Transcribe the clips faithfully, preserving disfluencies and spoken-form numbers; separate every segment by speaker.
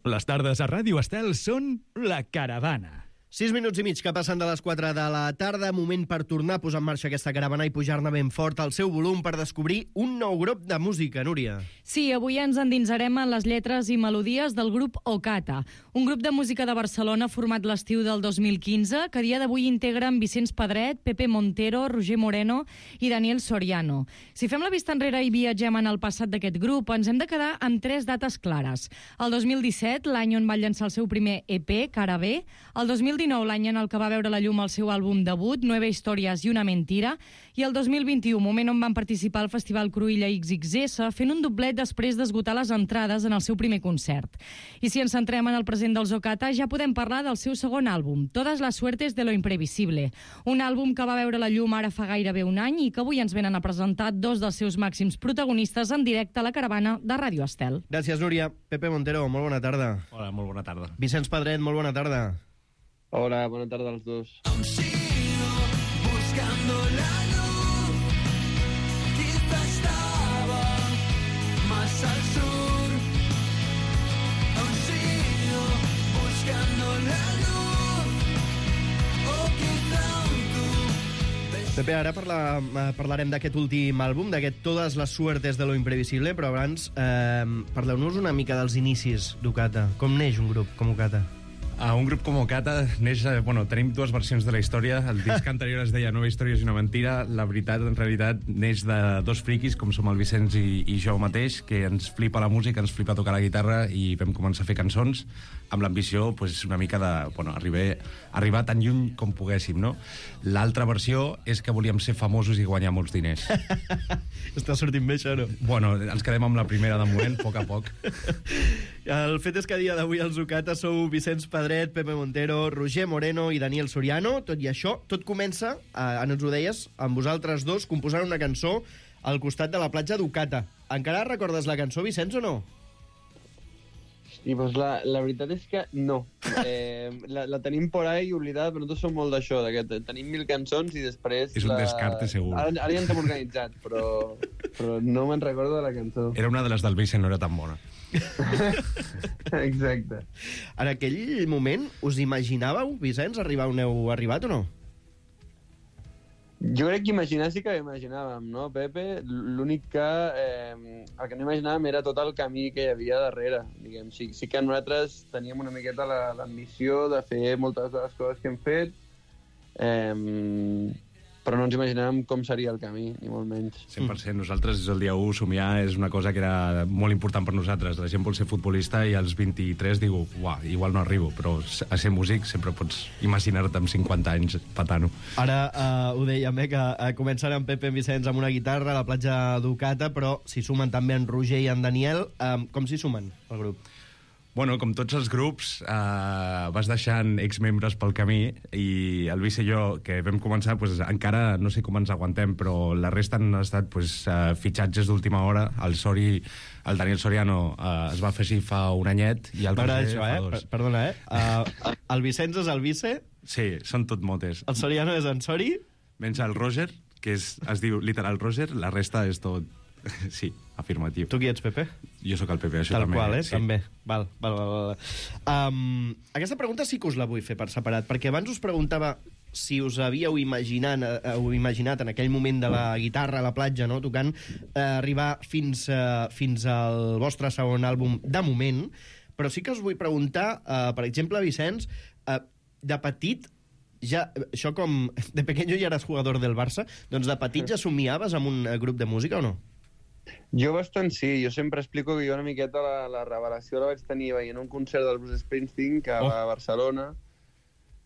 Speaker 1: Les tardes a Ràdio Estel són La Caravana.
Speaker 2: Sis minuts i mig que passen de les quatre de la tarda, moment per tornar a posar en marxa aquesta caravana i pujar-ne ben fort al seu volum per descobrir un nou grup de música, Núria.
Speaker 3: Sí, avui ens endinsarem en les lletres i melodies del grup Ocata, un grup de música de Barcelona format l'estiu del dos mil quinze, que a dia d'avui integren Vicenç Pedret, Pepe Montero, Roger Moreno i Daniel Soriano. Si fem la vista enrere i viatgem en el passat d'aquest grup, ens hem de quedar amb tres dates clares. El dos mil disset, l'any on va llançar el seu primer E P, Cara B, el dos mil dinou, l'any en el que va veure la llum el seu àlbum debut, Nueve Historias y una Mentira, i el dos mil vint-i-u, moment on van participar al Festival Cruïlla X X S, fent un doblet després d'esgotar les entrades en el seu primer concert. I si ens centrem en el present dels Ocata, ja podem parlar del seu segon àlbum, Todas las suertes de lo imprevisible, un àlbum que va veure la llum ara fa gairebé un any i que avui ens venen a presentar dos dels seus màxims protagonistes en directe a la caravana de Ràdio Estel.
Speaker 2: Gràcies, Núria. Pepe Montero, molt bona tarda.
Speaker 4: Hola, molt bona tarda.
Speaker 2: Vicenç Pedret, molt bona tarda.
Speaker 5: Hola, bona tarda als dos.
Speaker 6: Aún sigo buscando la luz, quizá estaba más al sur. Aún sigo buscando la luz, o quizá tú.
Speaker 2: Pepe, ara parla, parlarem d'aquest últim àlbum, d'aquest Todas las suertes de lo imprevisible, però abans eh, parleu-nos una mica dels inicis d'Ocata. Com neix un grup com Ocata?
Speaker 4: Uh, un grup com Ocata neix... Uh, bueno, tenim dues versions de la història. El disc anterior es deia Nueve Historias y una Mentira. La veritat, en realitat, neix de dos friquis, com som el Vicenç i, i jo mateix, que ens flipa la música, ens flipa tocar la guitarra i vam començar a fer cançons amb l'ambició, pues, una mica de... Bueno, arribar, arribar tan lluny com poguéssim, no? L'altra versió és que volíem ser famosos i guanyar molts diners.
Speaker 2: Està sortint bé, això, no?
Speaker 4: Bueno, ens quedem amb la primera de moment, a poc a poc.
Speaker 2: El fet és que a dia d'avui els Ocata sou Vicenç Pedret, Pepe Montero, Roger Moreno i Daniel Soriano. Tot i això, tot comença, eh, ens ho deies, amb vosaltres dos composant una cançó al costat de la platja d'Ocata. Encara recordes la cançó, Vicenç, o no?
Speaker 5: I doncs la, la veritat és que no. Eh, la, la tenim por ahí oblidada, però nosaltres som molt d'això, que tenim mil cançons i després...
Speaker 4: És un
Speaker 5: la...
Speaker 4: descarte, segur.
Speaker 5: Ara, ara ja ens hem organitzat, però, però no me'n recordo de la cançó.
Speaker 4: Era una de les del Vicent, no era tan bona.
Speaker 5: Exacte.
Speaker 2: En aquell moment, us imaginàveu, Vicenç, arribar on heu arribat o no?
Speaker 5: Jo crec que imaginar sí que imaginàvem, no, Pepe? L'únic que eh, el que no imaginàvem era tot el camí que hi havia darrere. Diguem. Sí, sí que nosaltres teníem una miqueta l'ambició de fer moltes de les coses que hem fet, eh, però no ens imaginàvem com seria el camí, ni molt menys.
Speaker 4: cent per cent. Nosaltres, des del dia u, somiar és una cosa que era molt important per nosaltres. La gent vol ser futbolista i als vint-i-tres diu, uah, igual no arribo, però a ser músic sempre pots imaginar-te amb cinquanta anys patant-ho.
Speaker 2: Ara uh, ho dèiem, eh, que uh, començaran en Pepe i Vicenç amb una guitarra a la platja d'Ocata, però s'hi sumen també en Roger i en Daniel. Um, com s'hi sumen, el grup?
Speaker 4: Bueno, com tots els grups, eh, vas deixant exmembres pel camí i el Vice i jo, que vam començar, pues, encara no sé com ens aguantem, però la resta han estat pues, eh, fitxatges d'última hora. El Sori, el Daniel Soriano eh, es va afegir fa un anyet i el
Speaker 2: Roger
Speaker 4: això,
Speaker 2: fa
Speaker 4: eh?
Speaker 2: dos. Perdona, eh? Uh, el Vicenç és el Vice?
Speaker 4: Sí, són tot motes.
Speaker 2: El Soriano és en Sori?
Speaker 4: Menys el Roger, que és, es diu literal Roger, la resta és tot... Sí, afirmatiu.
Speaker 2: Tu qui ets, Pepe?
Speaker 4: Jo sóc el Pepe, això
Speaker 2: Tal
Speaker 4: també.
Speaker 2: qual, eh?
Speaker 4: Sí.
Speaker 2: També. Val, val, val, val. Um, aquesta pregunta sí que us la vull fer per separat, perquè abans us preguntava si us havíeu imaginat, eh, imaginat en aquell moment de la guitarra a la platja, no?, tocant, eh, arribar fins, eh, fins al vostre segon àlbum de moment, però sí que us vull preguntar, eh, per exemple, Vicenç, eh, de petit, ja, això com de pequeño ja eres jugador del Barça, doncs de petit ja somiaves amb un grup de música o no?
Speaker 5: Jo bastant sí, jo sempre explico que jo una miqueta la, la revelació la vaig tenir veient un concert del Bruce Springsteen que oh. va a Barcelona,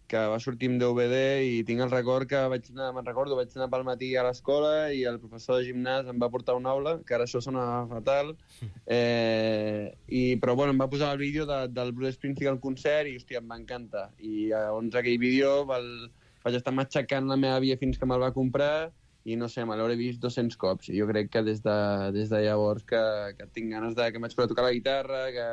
Speaker 5: que va sortir amb D V D i tinc el record que vaig anar, me'n recordo, vaig anar pel matí a l'escola i el professor de gimnàs em va portar una aula, que ara això sona fatal, eh, i, però bueno, em va posar el vídeo de, del Bruce Springsteen al concert i, hòstia, em va encantar. I llavors aquell vídeo val, vaig estar matxacant la meva àvia fins que me'l va comprar i no sé, me l'hauré vist dos-cents cops. I jo crec que des de, des de llavors que, que tinc ganes de... que em vaig poder tocar la guitarra, que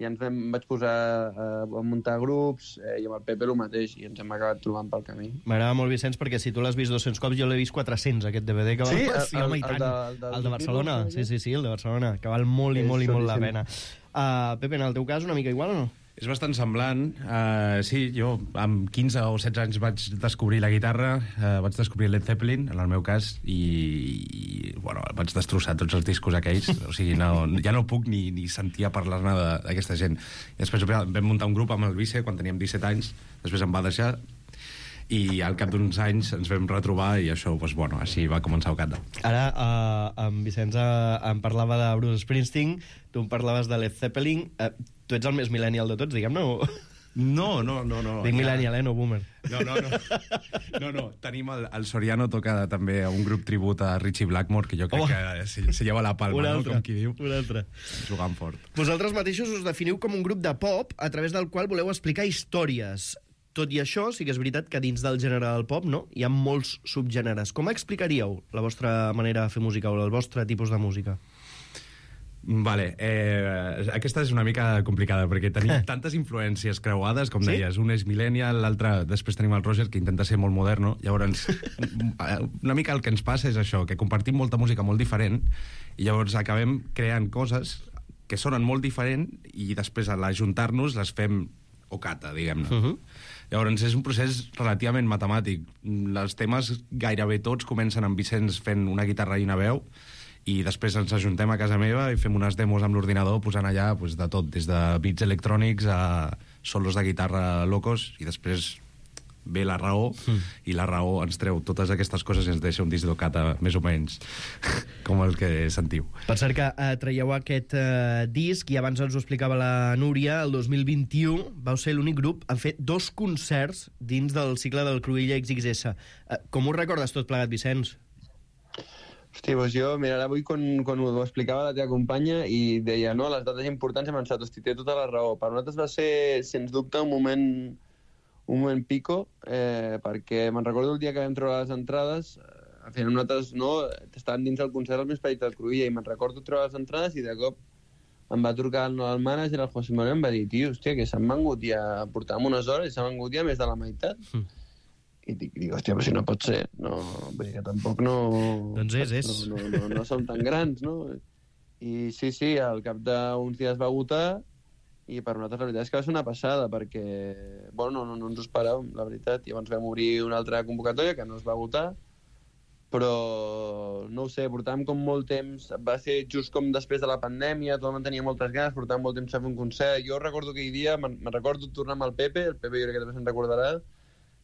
Speaker 5: i ens vam, vaig posar a, a muntar grups, eh, i amb el Pepe el mateix, i ens hem acabat trobant pel camí.
Speaker 2: M'agrada molt, Vicenç, perquè si tu l'has vist dos-cents cops, jo l'he vist quatre-cents, aquest D V D, que val...
Speaker 5: Sí?
Speaker 2: Sí, home, i
Speaker 5: El-
Speaker 2: tant.
Speaker 5: el de- el de-
Speaker 2: El de Barcelona, sí, sí, sí, el de Barcelona, que val molt i
Speaker 5: És
Speaker 2: molt i molt la
Speaker 5: xulíssim.
Speaker 2: pena. Uh, Pepe, en el teu cas, una mica igual o no?
Speaker 4: És bastant semblant. Uh, sí, jo amb quinze o setze anys vaig descobrir la guitarra, uh, vaig descobrir Led Zeppelin, en el meu cas, i, i bueno, vaig destrossar tots els discos aquells. O sigui, no, ja no puc ni, ni sentir a parlar-ne de- d'aquesta gent. I després vam muntar un grup amb el Vice quan teníem disset anys, després em va deixar, i al cap d'uns anys ens vam retrobar i això, doncs, bueno, així va començar Ocata.
Speaker 2: Ara, uh, en Vicenç uh, em parlava de Bruce Springsteen, tu em parlaves de Led Zeppelin. Uh, tu ets el més millennial de tots, diguem-ne? O...
Speaker 4: No, no, no. no
Speaker 2: Dic
Speaker 4: ja-
Speaker 2: millennial, eh, no boomer.
Speaker 4: No, no, no. No, no. Tenim el, el Soriano toca també un grup tribut a Richie Blackmore, que jo crec
Speaker 2: Oh.
Speaker 4: que se, se lleva la palma,
Speaker 2: Un
Speaker 4: no?
Speaker 2: altre,
Speaker 4: Com qui diu.
Speaker 2: un altre.
Speaker 4: Jugant fort.
Speaker 2: Vosaltres mateixos us definiu com un grup de pop a través del qual voleu explicar històries. Tot i això, sí que és veritat que dins del gènere del pop, no?, hi ha molts subgèneres. Com explicaríeu la vostra manera de fer música o el vostre tipus de música?
Speaker 4: Vale, eh, aquesta és una mica complicada, perquè tenim tantes influències creuades, com
Speaker 2: Sí?
Speaker 4: deies, un és millennial, l'altre, després tenim el Roger, que intenta ser molt moderno, llavors, una mica el que ens passa és això, que compartim molta música molt diferent, i llavors acabem creant coses que sonen molt diferent, i després, a l'ajuntar-nos, les fem Ocata, diguem-ne.
Speaker 2: Uh -huh.
Speaker 4: Llavors, és un procés relativament matemàtic. Els temes, gairebé tots, comencen amb Vicenç fent una guitarra i una veu, i després ens ajuntem a casa meva i fem unes demos amb l'ordinador posant allà pues, de tot, des de beats electrònics a solos de guitarra locos, i després ve la raó, mm. i la raó ens treu totes aquestes coses i ens deixa un disc d'Ocata més o menys com el que sentiu.
Speaker 2: Per cert que eh, traieu aquest eh, disc, i abans ens ho explicava la Núria, el dos mil vint-i-u vau ser l'únic grup a fer dos concerts dins del cicle del Cruïlla X X S. Eh, com ho recordes tot plegat, Vicenç?
Speaker 5: Hosti, doncs jo, mira, ara avui quan, quan ho explicava la teva companya i deia, no, les dates importants hem pensat, hosti, té tota la raó. Per nosaltres va ser, sens dubte, un moment un moment pico, eh, perquè me'n recordo el dia que vam treure les entrades, eh, al final nosaltres, no, estàvem dins del concert al més petit del Cruïlla, i me'n recordo treure les entrades i de cop em va trucar el, el mànager, el José Manuel, em va dir, tio, hòstia, que s'han vengut ja, portàvem unes hores i s'han vengut ja més de la meitat. Mm. I dic, dic, hòstia, però si no pot ser, no, vull dir que tampoc no...
Speaker 2: Doncs és, és.
Speaker 5: No, no, no, no som tan grans, no? I sí, sí, al cap d'uns dies va votar, i per nosaltres la veritat és que va ser una passada, perquè, bueno, no, no, no ens ho esperàvem, la veritat. I llavors vam obrir una altra convocatòria que no es va votar, però no ho sé, portàvem com molt temps, va ser just com després de la pandèmia, tothom tenia moltes ganes, portàvem molt temps a fer un concert. Jo recordo aquell dia, me'n me recordo tornar amb el Pepe, el Pepe jo crec que també se'n recordarà,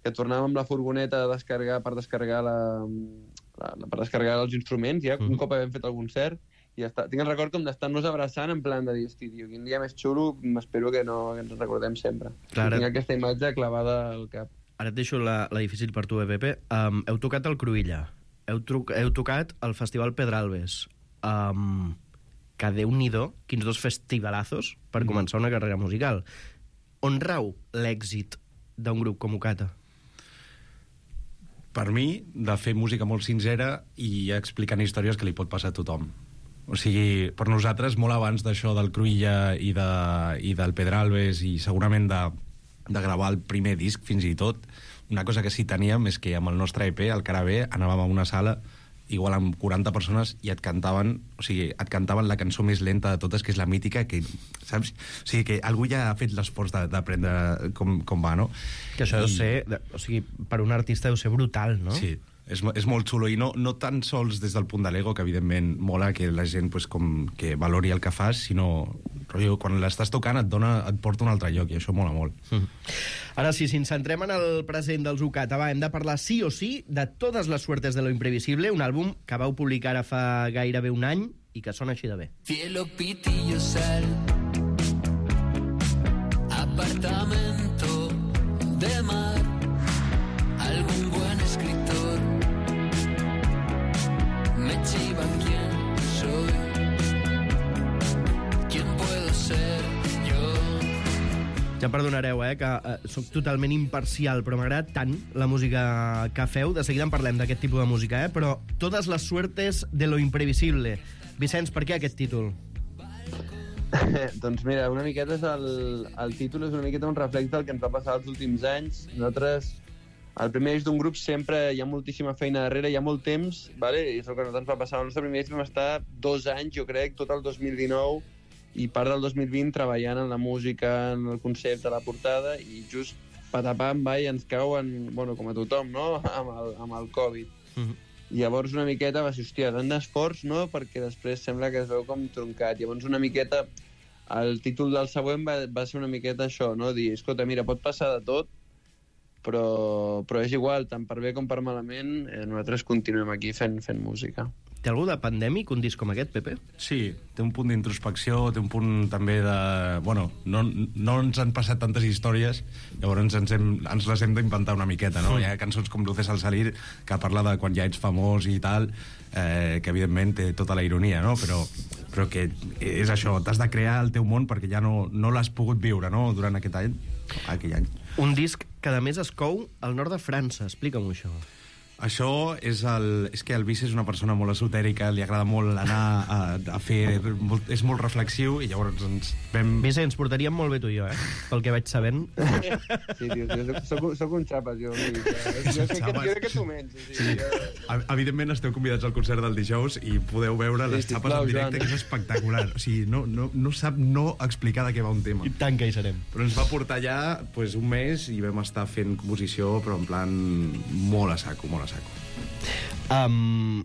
Speaker 5: que tornàvem amb la furgoneta a descarregar, per descarregar la, la, la per descarregar els instruments, ja, un cop havíem fet el concert, i ja està. Tinc el record com d'estar-nos abraçant en plan de dir, hosti, tio, quin dia més xulo, m'espero que no que ens recordem sempre.
Speaker 2: Clar.
Speaker 5: Tinc aquesta imatge clavada al cap.
Speaker 2: Ara et deixo la, la difícil per tu, eh, Pepe. Um, heu tocat el Cruïlla, heu, truc, heu tocat el Festival Pedralbes, um, que Déu-n'hi-do, quins dos festivalazos per mm. començar una carrera musical. On rau l'èxit d'un grup com Ocata?
Speaker 4: Per mi, de fer música molt sincera i explicant històries que li pot passar a tothom. O sigui, per nosaltres, molt abans d'això del Cruïlla i, de, i del Pedralbes, i segurament de, de gravar el primer disc, fins i tot, una cosa que sí teníem és que amb el nostre E P, el Carabé, anàvem a una sala igual amb quaranta persones i et cantaven, o sigui, et cantaven la cançó més lenta de totes, que és la mítica, que, saps? O sigui, que algú ja ha fet l'esforç d'aprendre com, com va, no?
Speaker 2: Que això deu
Speaker 4: I...
Speaker 2: ser, de- o sigui, per un artista deu ser brutal, no?
Speaker 4: Sí, és, mo- és molt xulo, i no, no tan sols des del punt de l'ego, que evidentment mola que la gent pues, com que valori el que fas, sinó rotllo, quan l'estàs tocant et, dona, et porta a un altre lloc, i això mola molt.
Speaker 2: Mm. Ara sí, si ens centrem en el present dels Ocata, va, hem de parlar sí o sí de Todas las suertes de lo imprevisible, un àlbum que vau publicar ara fa gairebé un any i que sona així de bé.
Speaker 6: Cielo, pitillo, sal. Apartamento de mar. Algún buen escritor. Me chivan quién soy. ¿Quién puedo ser yo?
Speaker 2: Ja em perdonareu, eh, que eh, soc totalment imparcial, però m'agrada tant la música que feu. De seguida en parlem d'aquest tipus de música, eh? Però Todas las suertes de lo imprevisible. Vicenç, per què aquest títol?
Speaker 5: Doncs mira, una miqueta és el, el títol és una miqueta un reflex del que ens va passar els últims anys. Nosaltres, el primer disc d'un grup sempre hi ha moltíssima feina darrere, hi ha molt temps, vale? I és el que a nosaltres ens va passar. El nostre primer disc vam estar dos anys, jo crec, tot el dos mil dinou i part del dos mil vint treballant en la música, en el concepte, la portada, i just patapam, va, i ens cauen, bueno, com a tothom, no?, amb el, amb el Covid. Mm-hmm. I llavors una miqueta va ser, hòstia, tant d'esforç, no?, perquè després sembla que es veu com troncat. Llavors una miqueta, el títol del següent va, va ser una miqueta això, no?, dir, escolta, mira, pot passar de tot, però, però és igual, tant per bé com per malament, eh, nosaltres continuem aquí fent, fent música.
Speaker 2: Té algú de pandèmic, un disc com aquest, Pepe?
Speaker 4: Sí, té un punt d'introspecció, té un punt també de... Bueno, no, no ens han passat tantes històries, llavors ens, hem, ens les hem d'inventar una miqueta, no? Hi ha cançons com Luces al salir, que parla de quan ja ets famós i tal, eh, que evidentment té tota la ironia, no? Però, però que és això, t'has de crear el teu món perquè ja no, no l'has pogut viure, no?, durant aquest any, aquell any.
Speaker 2: Un disc que, a més, es cou al nord de França. Explica'm això.
Speaker 4: Això és el... És que el Vici és una persona molt esotèrica, li agrada molt anar a, a fer... Molt, és molt reflexiu, i llavors ens vam...
Speaker 2: Vici, ens portaríem molt bé tu i jo, eh? Pel que vaig sabent.
Speaker 5: Sí, tio, tio soc, soc un xapes, jo. Jo, jo, sé que, jo crec que tu menys. O sigui, sí.
Speaker 4: Jo... Evidentment esteu convidats al concert del dijous i podeu veure les
Speaker 5: sí,
Speaker 4: xapes en directe, Joan, que és espectacular. O sigui, no, no, no sap no explicar de què va un tema.
Speaker 2: I tant que hi serem.
Speaker 4: Però ens va portar allà pues, un mes i vam estar fent composició, però en plan molt a saco, molt a saco.
Speaker 2: Um,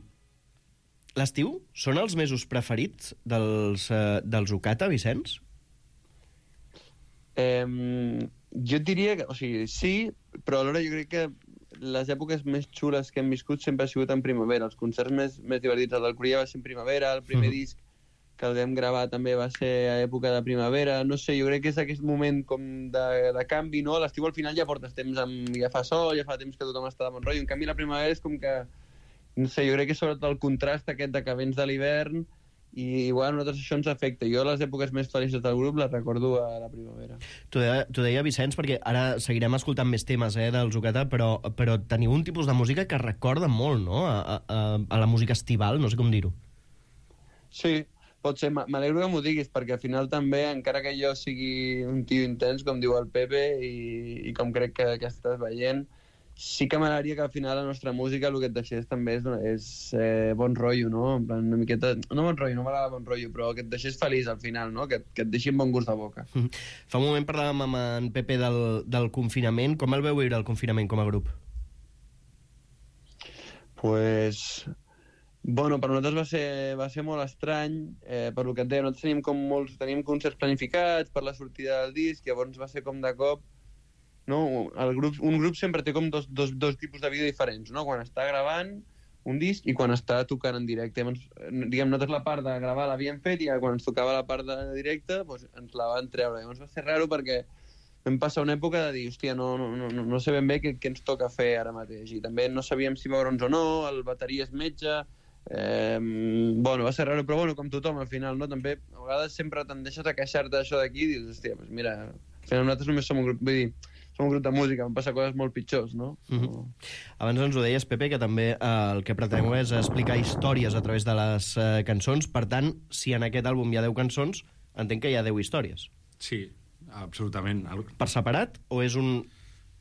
Speaker 2: L'estiu són els mesos preferits dels, uh, dels Ocata, Vicenç?
Speaker 5: Eh, jo et diria que, o sigui, sí, però alhora jo crec que les èpoques més xules que hem viscut sempre ha sigut en primavera. Els concerts més, més divertits, el del Cruïlla va ser en primavera, el primer mm. disc que el vam gravar també va ser a època de primavera. No sé, jo crec que és aquest moment com de, de canvi, no? A l'estiu al final ja portes temps amb... ja fa sol, ja fa temps que tothom està de bon rotllo. En canvi, la primavera és com que... No sé, jo crec que sobretot el contrast aquest de que vens de l'hivern i igual a nosaltres això ens afecta. Jo les èpoques més felices del grup les recordo a la primavera.
Speaker 2: T'ho deia, t'ho deia Vicenç, perquè ara seguirem escoltant més temes eh, dels Ocata, però, però teniu un tipus de música que recorda molt, no?, a, a, a la música estival, no sé com dir-ho.
Speaker 5: Sí, pot ser. M'alegro que m'ho diguis, perquè al final també, encara que jo sigui un tio intens, com diu el Pepe, i, i com crec que, que estàs veient, sí que m'agradaria que al final la nostra música el que et deixés també és, és eh, bon rotllo, no? En plan, una miqueta... No bon rotllo, no m'agrada bon rotllo, però que et deixés feliç al final, no? Que, que et deixi amb bon gust de boca.
Speaker 2: Mm. Fa un moment parlàvem amb en Pepe del, del confinament. Com el veu viure el confinament com a grup?
Speaker 5: Pues... Bueno, per nosaltres va ser, va ser molt estrany, eh, per lo que et deia, nosaltres teníem com molts, teníem concerts planificats per la sortida del disc, llavors va ser com de cop, no? El grup, un grup sempre té com dos, dos, dos tipus de vida diferents, no? Quan està gravant un disc i quan està tocant en directe. Llavors, diguem, nosaltres la part de gravar l'havíem fet i quan ens tocava la part de directe doncs ens la van treure. Llavors va ser raro perquè vam passar una època de dir, hòstia, no, no, no, no sé ben bé què, què ens toca fer ara mateix. I també no sabíem si veure'ns o no, el bateria és metge... Eh, bueno, va ser raro, però bueno, com tothom al final, no? També a vegades sempre te'n deixes a queixar-te d'això d'aquí i dius, hòstia, doncs mira, al final nosaltres només som un grup, vull dir, som un grup de música, van passar coses molt pitjors, no?
Speaker 2: Mm-hmm. Abans ens ho deies, Pepe, que també eh, el que preteneu és explicar històries a través de les eh, cançons. Per tant, si en aquest àlbum hi ha deu cançons, entenc que hi ha deu històries.
Speaker 4: Sí, absolutament.
Speaker 2: Per separat o és un...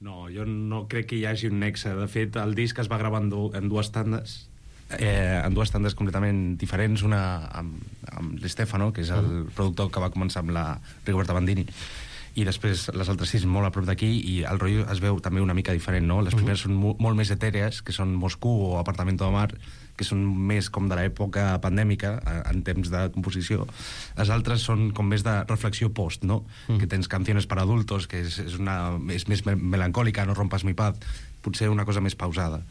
Speaker 4: No, jo no crec que hi hagi un nexe. De fet, el disc es va gravar en, du en dues tandes, eh, en dues tandes completament diferents, una amb, amb l'Estefano, que és el productor que va començar amb la Rigoberta Bandini, i després les altres sis molt a prop d'aquí, i el rotllo es veu també una mica diferent, no? Les primeres són mo molt més etèrees, que són Moscú o Apartamento de Mar, que són més com de l'època pandèmica, en temps de composició. Les altres són com més de reflexió post, no? Mm. Que tens Canciones para adultos, que és, és, una, és més melancòlica, No rompas mi paz, potser una cosa més pausada.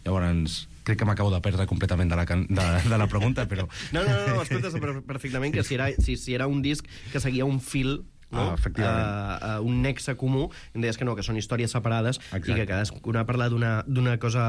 Speaker 4: Llavors, crec que m'acabo de perdre completament de la, can de, de la pregunta, però...
Speaker 2: No, no, no, escolta perfectament que si era, si, si era un disc que seguia un fil, no?
Speaker 4: Ah, efectivament.
Speaker 2: Uh, uh, un nexe comú, em deies que no, que són històries separades. Exacte. I que cadascuna parla d'una cosa,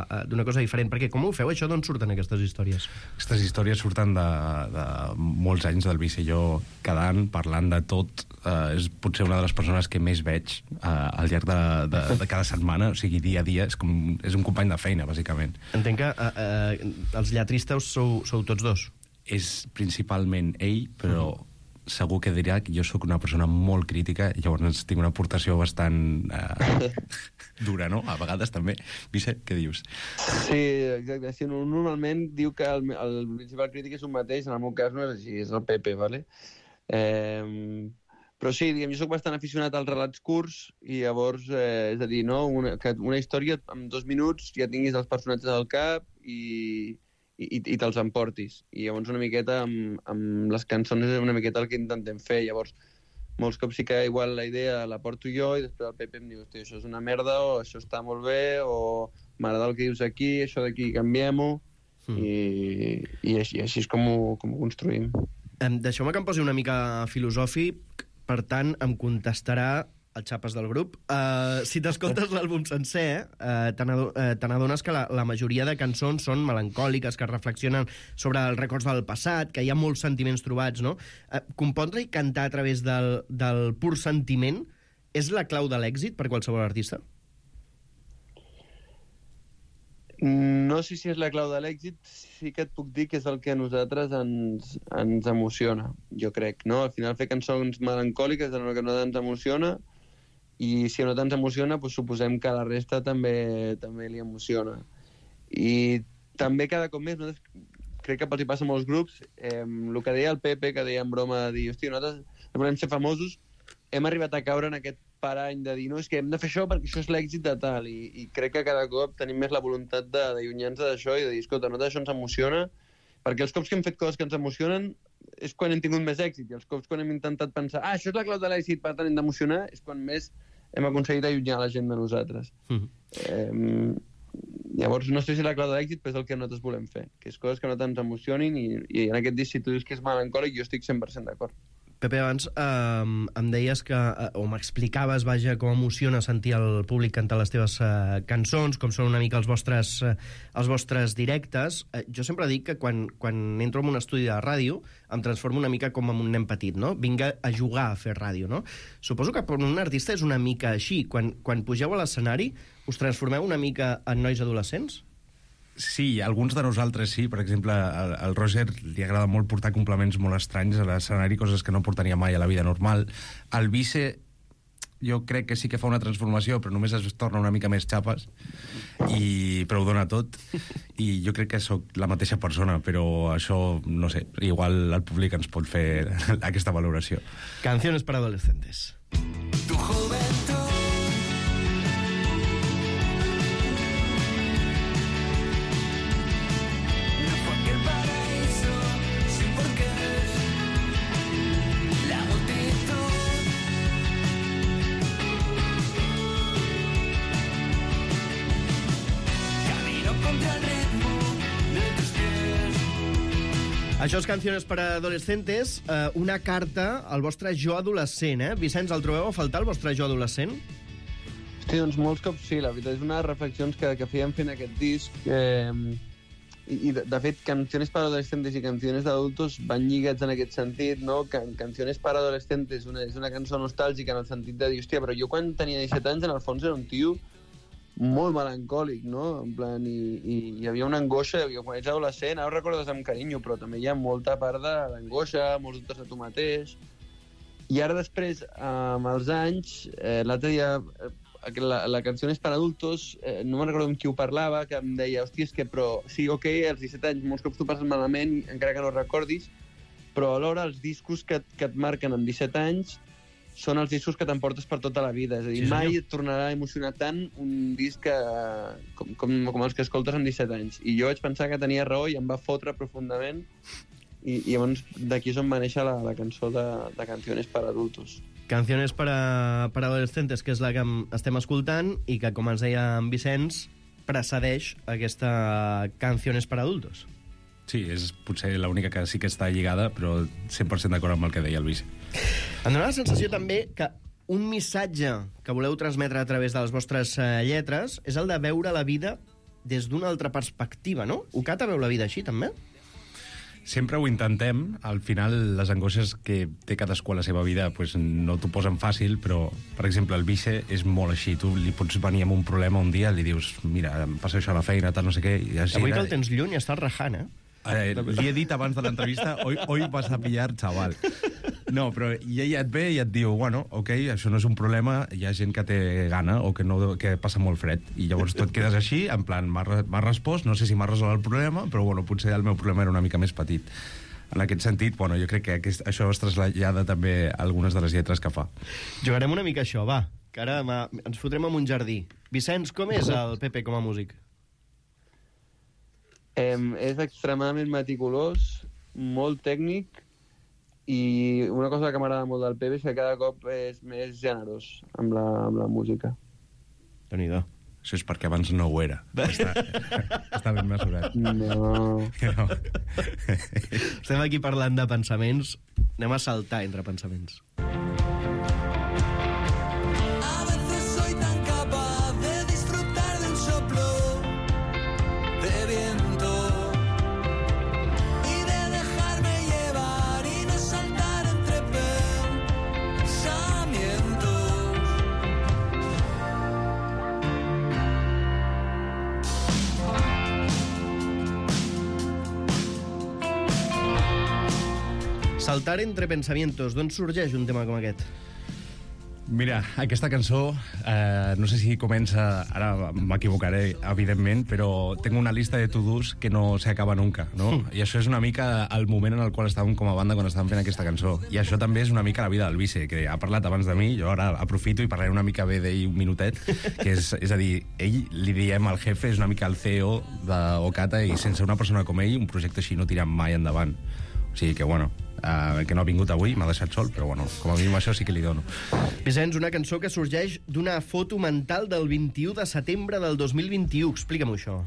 Speaker 2: uh, d'una cosa diferent. Perquè com ho feu, això, d'on surten aquestes històries?
Speaker 4: Aquestes històries surten de, de molts anys del Vici i jo quedant, parlant de tot. Uh, és potser una de les persones que més veig uh, al llarg de, de, de cada setmana, o sigui, dia a dia. És, com, és un company de feina, bàsicament.
Speaker 2: Entenc que uh, uh, els lletristes sou, sou tots dos.
Speaker 4: És principalment ell, però... Uh -huh. segur que dirà que jo sóc una persona molt crítica i llavors tinc una aportació bastant eh, dura, no? A vegades també. Vicent, què dius?
Speaker 5: Sí, exacte. Sí, normalment diu que el, el principal crític és un mateix, en el meu cas no és així, és el Pepe, ¿vale? Eh, però sí, diguem, jo soc bastant aficionat als relats curts i llavors, eh, és a dir, no? una, que una història en dos minuts ja tinguis els personatges al cap i, i, i te'ls emportis. I llavors una miqueta amb, amb les cançons és una miqueta el que intentem fer. Llavors, molts cops sí que igual la idea la porto jo i després el Pepe em diu, hòstia, això és una merda, o això està molt bé, o m'agrada el que dius aquí, això d'aquí canviem-ho, mm. i, i així, així és com ho, com ho construïm.
Speaker 2: Um, Deixeu-me que em posi una mica filosòfic, per tant, em contestarà el xapes del grup. Uh, si t'escoltes l'àlbum sencer, uh, te n'adones que la, la majoria de cançons són melancòliques, que reflexionen sobre els records del passat, que hi ha molts sentiments trobats, no? Uh, compondre i cantar a través del, del pur sentiment és la clau de l'èxit per qualsevol artista?
Speaker 5: No sé si és la clau de l'èxit, sí que et puc dir que és el que a nosaltres ens, ens emociona, jo crec, no? Al final fer cançons melancòliques és el que a nosaltres ens emociona, i si no ens emociona, doncs suposem que a la resta també també li emociona. I també cada cop més, nosaltres, crec que els hi passa a molts grups, eh, el que deia el Pepe, que deia en broma, de dir, hòstia, nosaltres volem ser famosos, hem arribat a caure en aquest parany de dir, no, és que hem de fer això perquè això és l'èxit de tal, i, i crec que cada cop tenim més la voluntat d'allunyar-nos d'això i de dir, escolta, no, això ens emociona, perquè els cops que hem fet coses que ens emocionen és quan hem tingut més èxit, i els cops quan hem intentat pensar, ah, això és la clau de l'èxit, per tant hem d'emocionar, és quan més hem aconseguit allunyar la gent de nosaltres. Mm. Eh, llavors, no sé si la clau de l'èxit, però és el que nosaltres volem fer, que és coses que no ens emocionin, i, i en aquest disc, si tu dius que és melancòlic, jo estic cent per cent d'acord.
Speaker 2: Pepe, abans eh, em deies que, eh, o m'explicaves, vaja, com emociona sentir el públic cantar les teves eh, cançons, com són una mica els vostres, eh, els vostres directes. Eh, jo sempre dic que quan, quan entro en un estudi de ràdio em transformo una mica com en un nen petit, no? Vinc a jugar a fer ràdio, no? Suposo que per un artista és una mica així. Quan, quan pugeu a l'escenari, us transformeu una mica en nois adolescents?
Speaker 4: Sí, alguns de nosaltres sí. Per exemple, al, al Roger li agrada molt portar complements molt estranys a l'escenari, coses que no portaria mai a la vida normal. Al Vice jo crec que sí que fa una transformació, però només es torna una mica més xapes, i, però ho dona tot. I jo crec que sóc la mateixa persona, però això, no sé, igual el públic ens pot fer aquesta valoració.
Speaker 2: Canciones para adolescentes.
Speaker 6: Tu juventud.
Speaker 2: Això és Canciones para adolescentes, eh, una carta al vostre jo adolescent, eh? Vicenç, el trobeu a faltar, el vostre jo adolescent?
Speaker 5: Hosti, doncs molts cops sí, la veritat és unes reflexions que, que fèiem fent aquest disc, eh, i, i de, de fet Canciones para adolescentes i Canciones d'adultos van lligats en aquest sentit, no? Can, Canciones para adolescentes una, és una cançó nostàlgica en el sentit de dir, hòstia, però jo quan tenia disset anys en el fons era un tio molt melancòlic, no? En plan, i, i hi havia una angoixa, jo, quan ets adolescent, ara ho recordes amb carinyo, però també hi ha molta part d'angoixa, molts dubtes de tu mateix. I ara després, amb els anys, eh, l'altre dia, eh, la, la cançó és per adultos, eh, no me'n recordo amb qui ho parlava, que em deia, hòstia, és que, però, sí, ok, als disset anys molts cops tu passes malament, encara que no recordis, però alhora els discos que, que et marquen amb disset anys són els discos que t'emportes per tota la vida. És a dir, sí, mai et tornarà a emocionar tant un disc que, com, com, com els que escoltes amb disset anys. I jo vaig pensar que tenia raó i em va fotre profundament, i, i llavors d'aquí és on va néixer la, la cançó de, de Canciones para adultos.
Speaker 2: Canciones para, para adolescentes, que és la que estem escoltant i que, com ens deia en Vicenç, precedeix aquesta Canciones para adultos.
Speaker 4: Sí, és potser l'única que sí que està lligada, però cent per cent d'acord amb el que deia el Vici.
Speaker 2: Em dóna la sensació també que un missatge que voleu transmetre a través de les vostres eh, lletres és el de veure la vida des d'una altra perspectiva, no? Okata veu la vida així, també?
Speaker 4: Sempre ho intentem. Al final, les angoixes que té cadascú a la seva vida pues, no t'ho posen fàcil, però, per exemple, el Vice és molt així. Tu li pots venir amb un problema un dia, li dius, mira, em passa això a la feina, tal, no sé què... I
Speaker 2: avui que el tens lluny, estàs rajant, eh?
Speaker 4: Eh, li he dit abans de l'entrevista, hoy, hoy vas a pillar, chaval. No, però i ella et ve i et diu, bueno, ok, això no és un problema, hi ha gent que té gana o que, no, que passa molt fred. I llavors tu et quedes així, en plan, m'ha respost, no sé si m'ha resolt el problema, però bueno, potser el meu problema era una mica més petit. En aquest sentit, bueno, jo crec que aquest, això es trasllada també a algunes de les lletres que fa.
Speaker 2: Jugarem una mica això, va, que ara ens fotrem en un jardí. Vicenç, com és el Pepe com a músic?
Speaker 5: Eh, és extremadament meticulós, molt tècnic, i una cosa que m'agrada molt del Pepe és que cada cop és més generós amb la, amb la música.
Speaker 2: Déu-n'hi-do.
Speaker 4: Això és perquè abans no ho era. Està, està ben mesurat.
Speaker 5: No.
Speaker 4: no.
Speaker 2: Estem aquí parlant de pensaments. Anem a saltar entre pensaments. Saltar entre pensamientos. D'on sorgeix un tema com aquest?
Speaker 4: Mira, aquesta cançó, eh, no sé si comença, ara m'equivocaré, evidentment, però tengo una lista de to-dos que no se acaba nunca, no? Mm. I això és una mica el moment en el qual estàvem com a banda quan estàvem fent aquesta cançó. I això també és una mica la vida del Vice, que ha parlat abans de mi, jo ara aprofito i parlaré una mica bé d'ell un minutet, que és, és a dir, ell li diem al jefe, és una mica el C E O d'Okata, i sense una persona com ell, un projecte així no tira mai endavant. O sigui que, bueno, Uh, que no ha vingut avui, m'ha deixat sol, però bueno, com a mínim això sí que li dono.
Speaker 2: Vicenç, una cançó que sorgeix d'una foto mental del vint-i-u de setembre del dos mil vint-i-u. Explica'm això.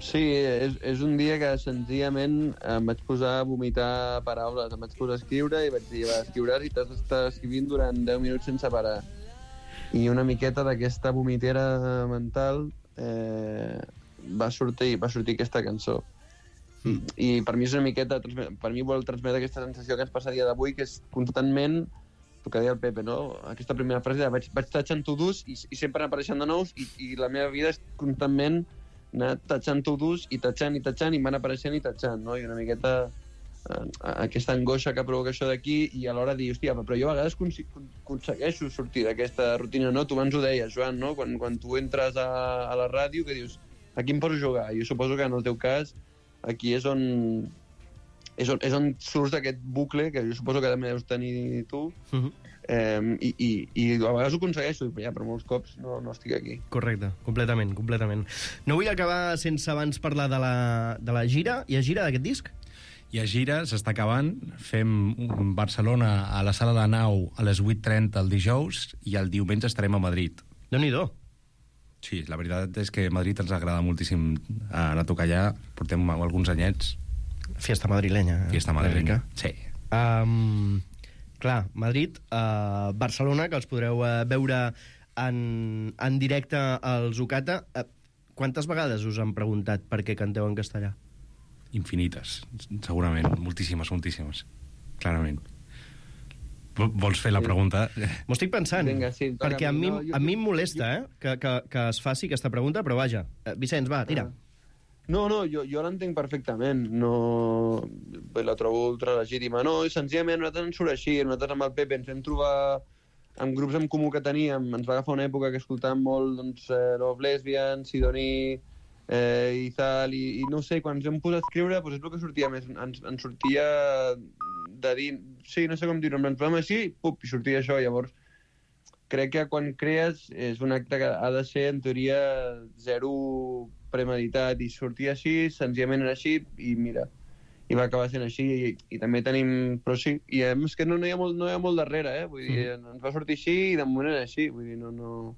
Speaker 5: Sí, és, és un dia que senzillament em vaig posar a vomitar paraules, em vaig posar a escriure i vaig dir, va, escriuràs i t'has d'estar escrivint durant deu minuts sense parar. I una miqueta d'aquesta vomitera mental eh, va sortir, va sortir aquesta cançó. Mm. I per mi és una miqueta, per mi vol transmetre aquesta sensació que ens passa a dia d'avui, que és constantment, el que deia el Pepe, no? Aquesta primera frase de vaig, vaig tatxant to-dos i, i sempre apareixen de nous, i, i la meva vida és constantment anar tatxant to-dos i tatxant i tatxant i van apareixent i tatxant, no? I una miqueta eh, aquesta angoixa que provoca això d'aquí, i alhora dir, hòstia, però jo a vegades aconsegueixo sortir d'aquesta rutina, no? Tu abans ho deies, Joan, no? Quan, quan tu entres a, a la ràdio, que dius, a qui em poso a jugar? Jo suposo que en el teu cas aquí és on, és on, és on surts d'aquest bucle, que jo suposo que també deus tenir tu, uh -huh. eh, i, i, i a vegades ho aconsegueixo, ja, però molts cops no, no estic aquí.
Speaker 2: Correcte, completament, completament. No vull acabar sense abans parlar de la, de la gira. Hi ha gira d'aquest disc?
Speaker 4: Hi ha gira, s'està acabant. Fem Barcelona a la Sala de Nau a les vuit trenta el dijous i el diumenge estarem a Madrid.
Speaker 2: Déu-n'hi-do.
Speaker 4: Sí, la veritat és que Madrid ens agrada moltíssim anar a tocar allà. Portem alguns anyets.
Speaker 2: Fiesta madrilenya.
Speaker 4: Fiesta madrilenya, sí.
Speaker 2: Um, clar, Madrid, uh, Barcelona, que els podreu uh, veure en, en directe als Okata. Uh, quantes vegades us han preguntat per què canteu en castellà?
Speaker 4: Infinites, segurament. Moltíssimes, moltíssimes. Clarament. Vols fer la pregunta?
Speaker 2: M'ho estic pensant,
Speaker 5: Vinga, sí,
Speaker 2: perquè a mi,
Speaker 5: no, jo,
Speaker 2: a mi em molesta eh, que, que, que es faci aquesta pregunta, però vaja. Uh, Vicenç, va, tira.
Speaker 5: No, no, jo, jo l'entenc perfectament. No, la trobo ultra legítima. No, i senzillament nosaltres ens surt així. Nosaltres amb el Pepe ens vam trobar amb grups en comú que teníem. Ens va agafar una època que escoltàvem molt, doncs, eh, Love Lesbian, Sidoní, eh, i tal, i, i no sé, quan ens vam posar a escriure, doncs és el que sortia més. Ens, ens sortia de dir... Sí, no sé com dir-ho, ens vam així, pup, i sortia això. Llavors, crec que quan crees és un acte que ha de ser, en teoria, zero premeditat, i sortia així, senzillament era així, i mira, i va acabar sent així, i, i també tenim... Però sí, i és que no, no, hi ha molt, no hi ha molt darrere, eh? Vull dir, mm. ens va sortir així, i de moment era així, vull dir, no... no...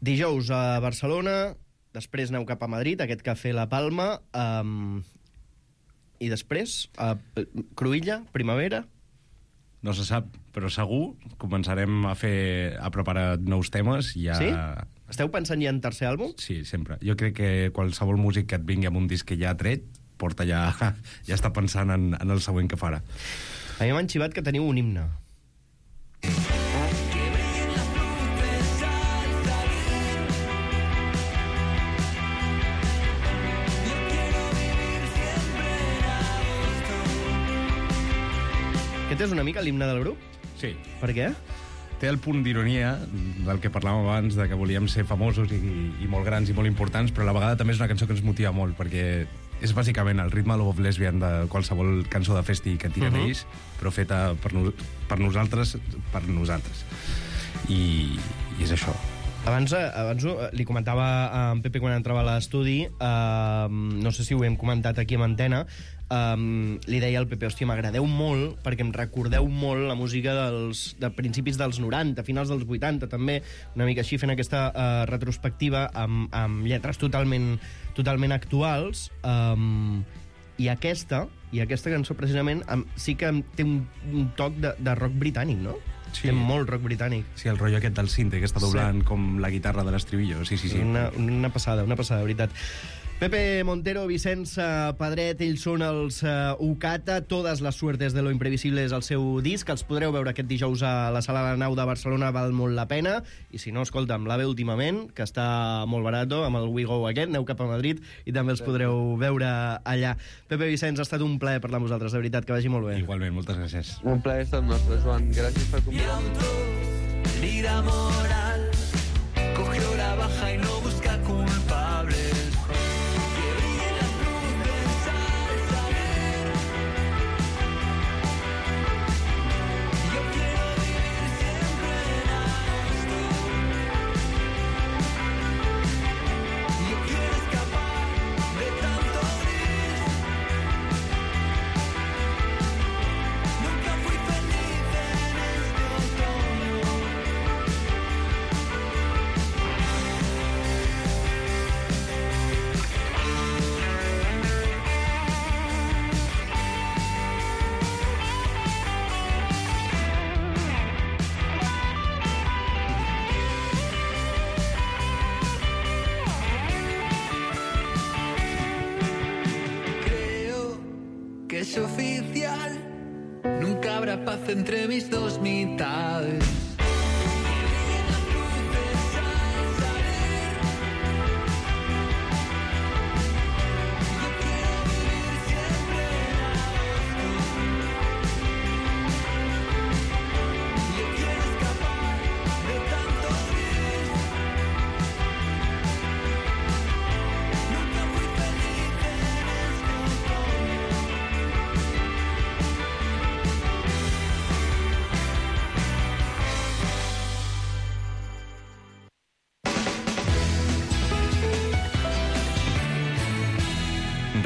Speaker 2: Dijous a Barcelona, després aneu cap a Madrid, aquest cafè La Palma, um, i després, a Cruïlla, Primavera...
Speaker 4: No se sap, però segur començarem a fer a preparar nous temes i ja...
Speaker 2: Sí? Esteu pensant ja en tercer àlbum?
Speaker 4: Sí, sempre. Jo crec que qualsevol músic que et vingui amb un disc que ja ha tret, porta ja... ja està pensant en, en el següent que farà.
Speaker 2: A mi m'han xivat que teniu un himne. Aquest és una mica l'himne del grup?
Speaker 4: Sí.
Speaker 2: Per què?
Speaker 4: Té el punt d'ironia del que parlàvem abans, de que volíem ser famosos i, i molt grans i molt importants, però a la vegada també és una cançó que ens motiva molt, perquè és bàsicament el ritme Love of Lesbian de qualsevol cançó de festi que tiren uh-huh. ells, però feta per, no, per nosaltres, per nosaltres. I, i és això.
Speaker 2: Abans, abans li comentava a en Pepe quan entrava a l'estudi, uh, no sé si ho hem comentat aquí amb antena, um, li deia al Pepe, hòstia, m'agradeu molt perquè em recordeu molt la música dels, de principis dels noranta, finals dels vuitanta, també, una mica així, fent aquesta uh, retrospectiva amb, amb lletres totalment, totalment actuals, um, i aquesta, i aquesta cançó precisament um, sí que té un, un toc de, de rock britànic, no?
Speaker 4: Sí.
Speaker 2: Té molt rock britànic.
Speaker 4: Sí, el rotllo aquest del sinte, que està doblant sí. com la guitarra de l'estribillo. Sí, sí, sí.
Speaker 2: Una, una passada, una passada, de veritat. Pepe Montero, Vicenç Pedret, ells són els uh, Ocata, Todas las suertes de lo imprevisible és el seu disc, els podreu veure aquest dijous a la Sala de la Nau de Barcelona, val molt la pena, i si no, escolta'm, l'A V E últimament, que està molt barato, amb el We Go aquest, aneu cap a Madrid, i també els podreu veure allà. Pepe, Vicenç, ha estat un plaer parlar amb vosaltres, de veritat, que vagi molt bé.
Speaker 4: Igualment, moltes gràcies.
Speaker 5: Un plaer és tot nostre, Joan. Gràcies per convidar-nos.
Speaker 6: Lira moral, cogió la baja y no busca culpables. Es oficial, nunca habrá paz entre mis dos mitades.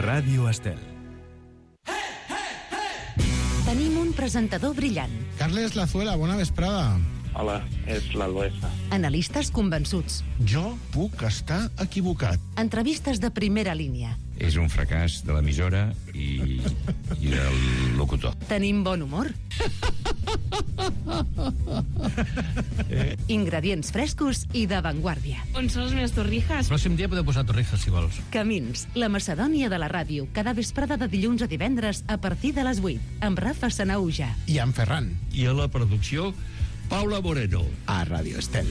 Speaker 1: Ràdio Estel.
Speaker 7: Tenim un presentador brillant.
Speaker 8: Carles Lazuela, bona vesprada.
Speaker 9: Hola, és l'Albesa.
Speaker 7: Analistes convençuts.
Speaker 8: Jo puc estar equivocat.
Speaker 7: Entrevistes de primera línia.
Speaker 10: És un fracàs de l'emissora i, i del locutor.
Speaker 7: Tenim bon humor. Ingredients frescos i d'avantguàrdia.
Speaker 3: On són les meves torrijas?
Speaker 11: El pròxim dia podeu posar torrijas, si vols.
Speaker 7: Camins, la Macedònia de la ràdio, cada vesprada de dilluns a divendres a partir de les vuit, amb Rafa Sanauja.
Speaker 8: I en Ferran.
Speaker 11: I a la producció, Paula Moreno.
Speaker 8: A Ràdio Estel.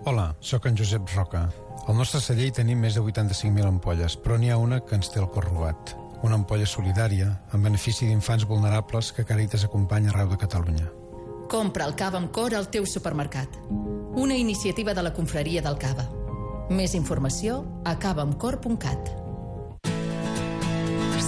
Speaker 12: Hola, sóc en Josep Roca. Al nostre celler hi tenim més de vuitanta-cinc mil ampolles, però n'hi ha una que ens té el cor robat. Una ampolla solidària, en benefici d'infants vulnerables que Càritas acompanya arreu de Catalunya.
Speaker 13: Compra el cava amb cor al teu supermercat. Una iniciativa de la Confraria del Cava. Més informació a cava amb cor punt cat.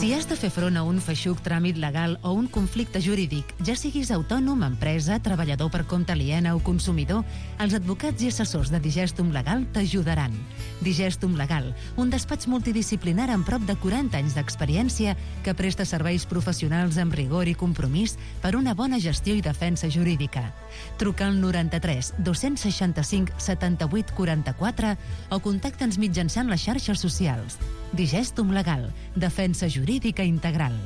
Speaker 7: Si has de fer front a un feixuc tràmit legal o un conflicte jurídic, ja siguis autònom, empresa, treballador per compte aliena o consumidor, els advocats i assessors de Digestum Legal t'ajudaran. Digestum Legal, un despatx multidisciplinar amb prop de quaranta anys d'experiència que presta serveis professionals amb rigor i compromís per una bona gestió i defensa jurídica. Truca al noranta-tres dos-cents seixanta-cinc setanta-vuit quaranta-quatre o contacta'ns mitjançant les xarxes socials. Digestum Legal, defensa jurídica integral.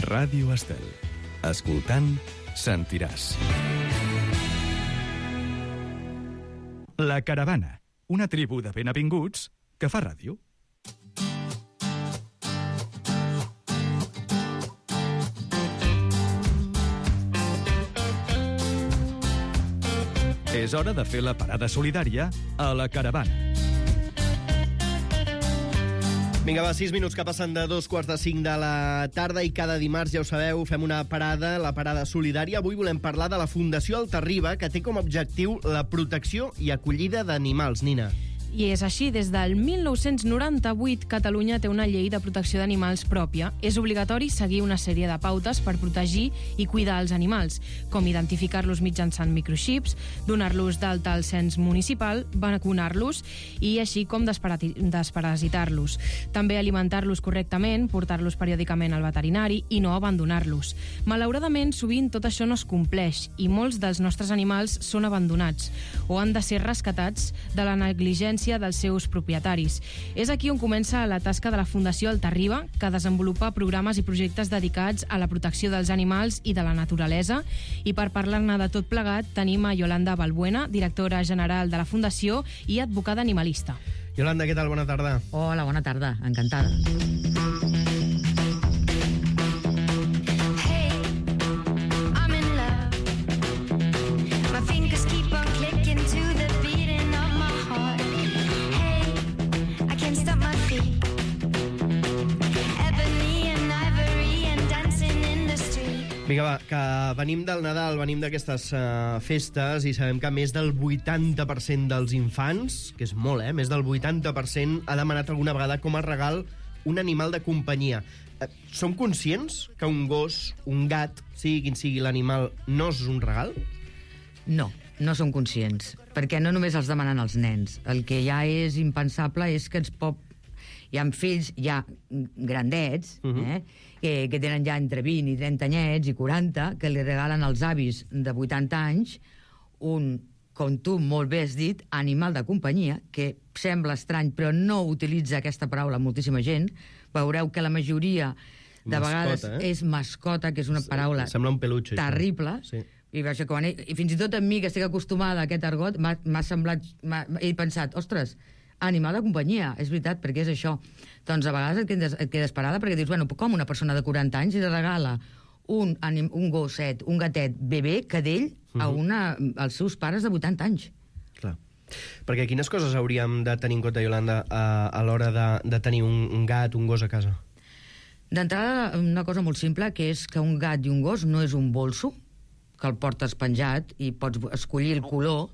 Speaker 1: Ràdio Estel. Escoltant, sentiràs. La Caravana, una tribu de benavinguts que fa ràdio. És hora de fer la parada solidària a la caravana.
Speaker 2: Vinga, va, sis minuts que passen de dos quarts de cinc de la tarda i cada dimarts, ja ho sabeu, fem una parada, la parada solidària. Avui volem parlar de la Fundació Altarriba, que té com a objectiu la protecció i acollida d'animals. Nina.
Speaker 14: I és així, des del mil nou-cents noranta-vuit Catalunya té una llei de protecció d'animals pròpia. És obligatori seguir una sèrie de pautes per protegir i cuidar els animals, com identificar-los mitjançant microxips, donar-los d'alta al cens municipal, vacunar-los i així com desparasitar-los. També alimentar-los correctament, portar-los periòdicament al veterinari i no abandonar-los. Malauradament, sovint tot això no es compleix i molts dels nostres animals són abandonats o han de ser rescatats de la negligència dels seus propietaris. És aquí on comença la tasca de la Fundació Altarriba, que desenvolupa programes i projectes dedicats a la protecció dels animals i de la naturalesa. I per parlar-ne de tot plegat tenim a Yolanda Balbuena, directora general de la Fundació i advocada animalista.
Speaker 2: Yolanda, què tal? Bona tarda.
Speaker 15: Hola, bona tarda. Encantada.
Speaker 2: Vinga, va, que venim del Nadal, venim d'aquestes uh, festes i sabem que més del vuitanta per cent dels infants, que és molt, eh? Més del vuitanta per cent ha demanat alguna vegada com a regal un animal de companyia. Uh, som conscients que un gos, un gat, sigui quin sigui l'animal, no és un regal?
Speaker 15: No, no som conscients, perquè no només els demanen els nens. El que ja és impensable és que ens pot... Hi ha fills ja grandets, uh-huh. eh, que, que tenen ja entre vint i trenta anyets i quaranta, que li regalen als avis de vuitanta anys un, com tu molt bé has dit, animal de companyia, que sembla estrany, però no utilitza aquesta paraula moltíssima gent. Veureu que la majoria de mascota, vegades eh? és mascota, que és una paraula
Speaker 2: sembla un peluche,
Speaker 15: terrible. Sí. I, quan he, I fins i tot a mi, que estic acostumada a aquest argot, m'ha semblat... he pensat, ostres, animal de companyia, és veritat, perquè és això. Doncs a vegades et quedes, et quedes parada perquè dius, bueno, com una persona de quaranta anys li regala un, anim, un gosset, un gatet bebè, cadell, uh-huh. a una, als seus pares de vuitanta anys.
Speaker 2: Clar. Perquè quines coses hauríem de tenir en compte, Yolanda, a, a l'hora de, de tenir un, un gat, un gos a casa?
Speaker 15: D'entrada, una cosa molt simple, que és que un gat i un gos no és un bolso, que el portes penjat i pots escollir el color,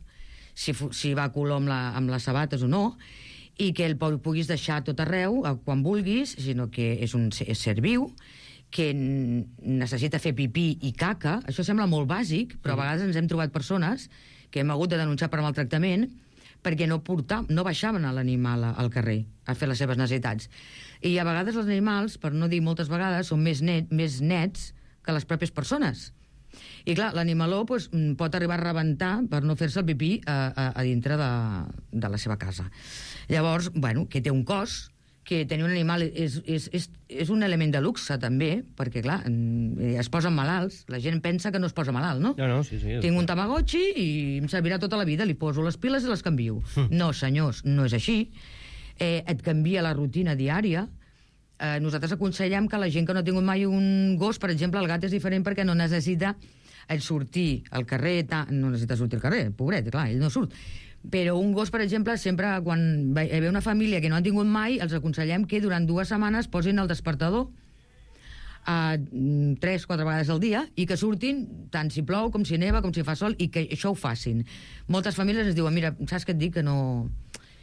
Speaker 15: si, si va a color amb, la, amb les sabates o no, i que el puguis deixar tot arreu quan vulguis, sinó que és un és ser viu, que necessita fer pipí i caca. Això sembla molt bàsic, però a vegades ens hem trobat persones que hem hagut de denunciar per maltractament perquè no, portar, no baixaven a l'animal al carrer a fer les seves necessitats. I a vegades els animals, per no dir moltes vegades, són més, net, més nets que les pròpies persones. I clar, l'animaló pues, pot arribar a rebentar per no fer-se el pipí a, a, a dintre de, de la seva casa. Llavors, bueno, que té un cos, que tenir un animal és, és, és, és un element de luxe, també, perquè, clar, es posen malalts. La gent pensa que no es posa malalt, no?
Speaker 2: No, no, sí, sí.
Speaker 15: Tinc un Tamagotchi i em servirà tota la vida, li poso les piles i les canvio. Mm. No, senyors, no és així. Eh, et canvia la rutina diària. Eh, nosaltres aconsellem que la gent que no ha tingut mai un gos, per exemple, el gat és diferent perquè no necessita el sortir al carrer, no necessita sortir al carrer, pobret, clar, ell no surt. Però un gos, per exemple, sempre quan hi ve una família que no han tingut mai, els aconsellem que durant dues setmanes posin el despertador a tres, quatre vegades al dia i que surtin tant si plou com si neva, com si fa sol, i que això ho facin. Moltes famílies ens diuen, mira, saps què et dic? Que no,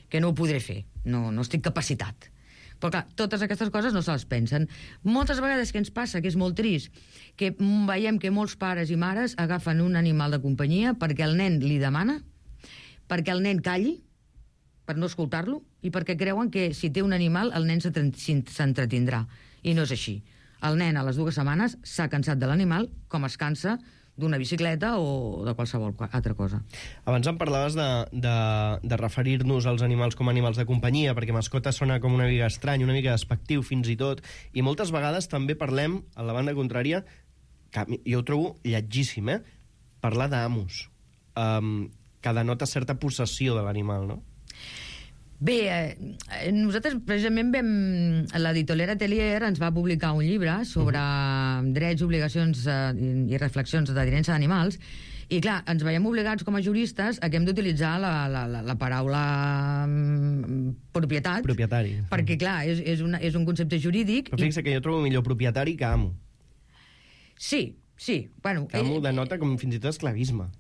Speaker 15: que no ho podré fer, no, no estic capacitat. Però clar, totes aquestes coses no se les pensen. Moltes vegades que ens passa, que és molt trist, que veiem que molts pares i mares agafen un animal de companyia perquè el nen li demana, perquè el nen calli, per no escoltar-lo, i perquè creuen que si té un animal el nen s'entretindrà. I no és així. El nen a les dues setmanes s'ha cansat de l'animal com es cansa d'una bicicleta o de qualsevol altra cosa.
Speaker 2: Abans em parlaves de, de, de referir-nos als animals com a animals de companyia, perquè mascota sona com una mica estrany, una mica despectiu fins i tot, i moltes vegades també parlem, a la banda contrària, que jo ho trobo lletgíssim, eh? Parlar d'amos, um, que denota certa possessió de l'animal, no?
Speaker 15: Bé, eh, nosaltres precisament vam... L'editorial Atelier ens va publicar un llibre sobre uh-huh. drets, obligacions eh, i reflexions de tinença d'animals, i clar, ens veiem obligats com a juristes a que hem d'utilitzar la, la, la, la paraula um, propietat.
Speaker 2: Propietari.
Speaker 15: Perquè, clar, és, és, una, és un concepte jurídic.
Speaker 2: Però fixa que jo trobo millor propietari que amo.
Speaker 15: Sí, sí. Bueno,
Speaker 2: que amo eh, denota com fins i tot esclavisme.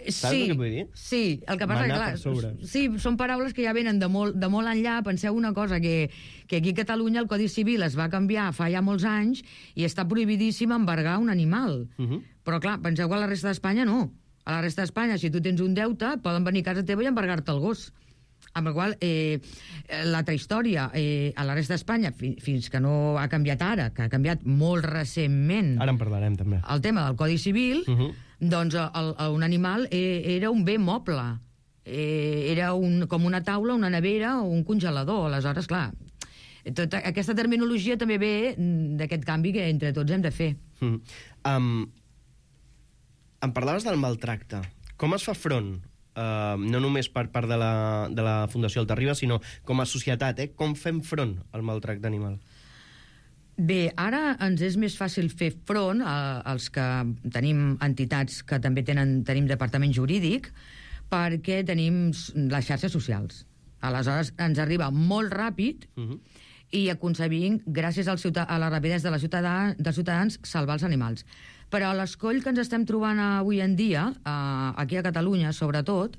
Speaker 2: Saps
Speaker 15: sí,
Speaker 2: el que vull dir?
Speaker 15: Sí, el que passa
Speaker 2: Manar
Speaker 15: que, clar, sí, són paraules que ja venen de molt, de molt enllà. Penseu una cosa, que, que aquí a Catalunya el Codi Civil es va canviar fa ja molts anys i està prohibidíssim embargar un animal. Uh -huh. Però, clar, penseu que a la resta d'Espanya no. A la resta d'Espanya, si tu tens un deute, poden venir a casa teva i embargar-te el gos. Amb la qual eh, l'altra història, eh, a la resta d'Espanya, fi, fins que no ha canviat ara, que ha canviat molt recentment...
Speaker 2: Ara en parlarem, també.
Speaker 15: El tema del Codi Civil... Uh -huh. Doncs el, el, un animal eh, era un bé moble. Eh, era un, com una taula, una nevera o un congelador. Aleshores, clar, tota aquesta terminologia també ve d'aquest canvi que entre tots hem de fer.
Speaker 2: Mm. Um, em parlaves del maltracte. Com es fa front? Uh, no només per part de la, de la Fundació Altarriba, sinó com a societat, eh? Com fem front al maltracte animal?
Speaker 15: Bé, ara ens és més fàcil fer front a, als que tenim entitats que també tenen, tenim departament jurídic, perquè tenim les xarxes socials. Aleshores, ens arriba molt ràpid uh-huh. i aconseguim, gràcies al ciutadà, a la rapidesa de la ciutadà, dels ciutadans, salvar els animals. Però l'escoll que ens estem trobant avui en dia, eh, aquí a Catalunya, sobretot,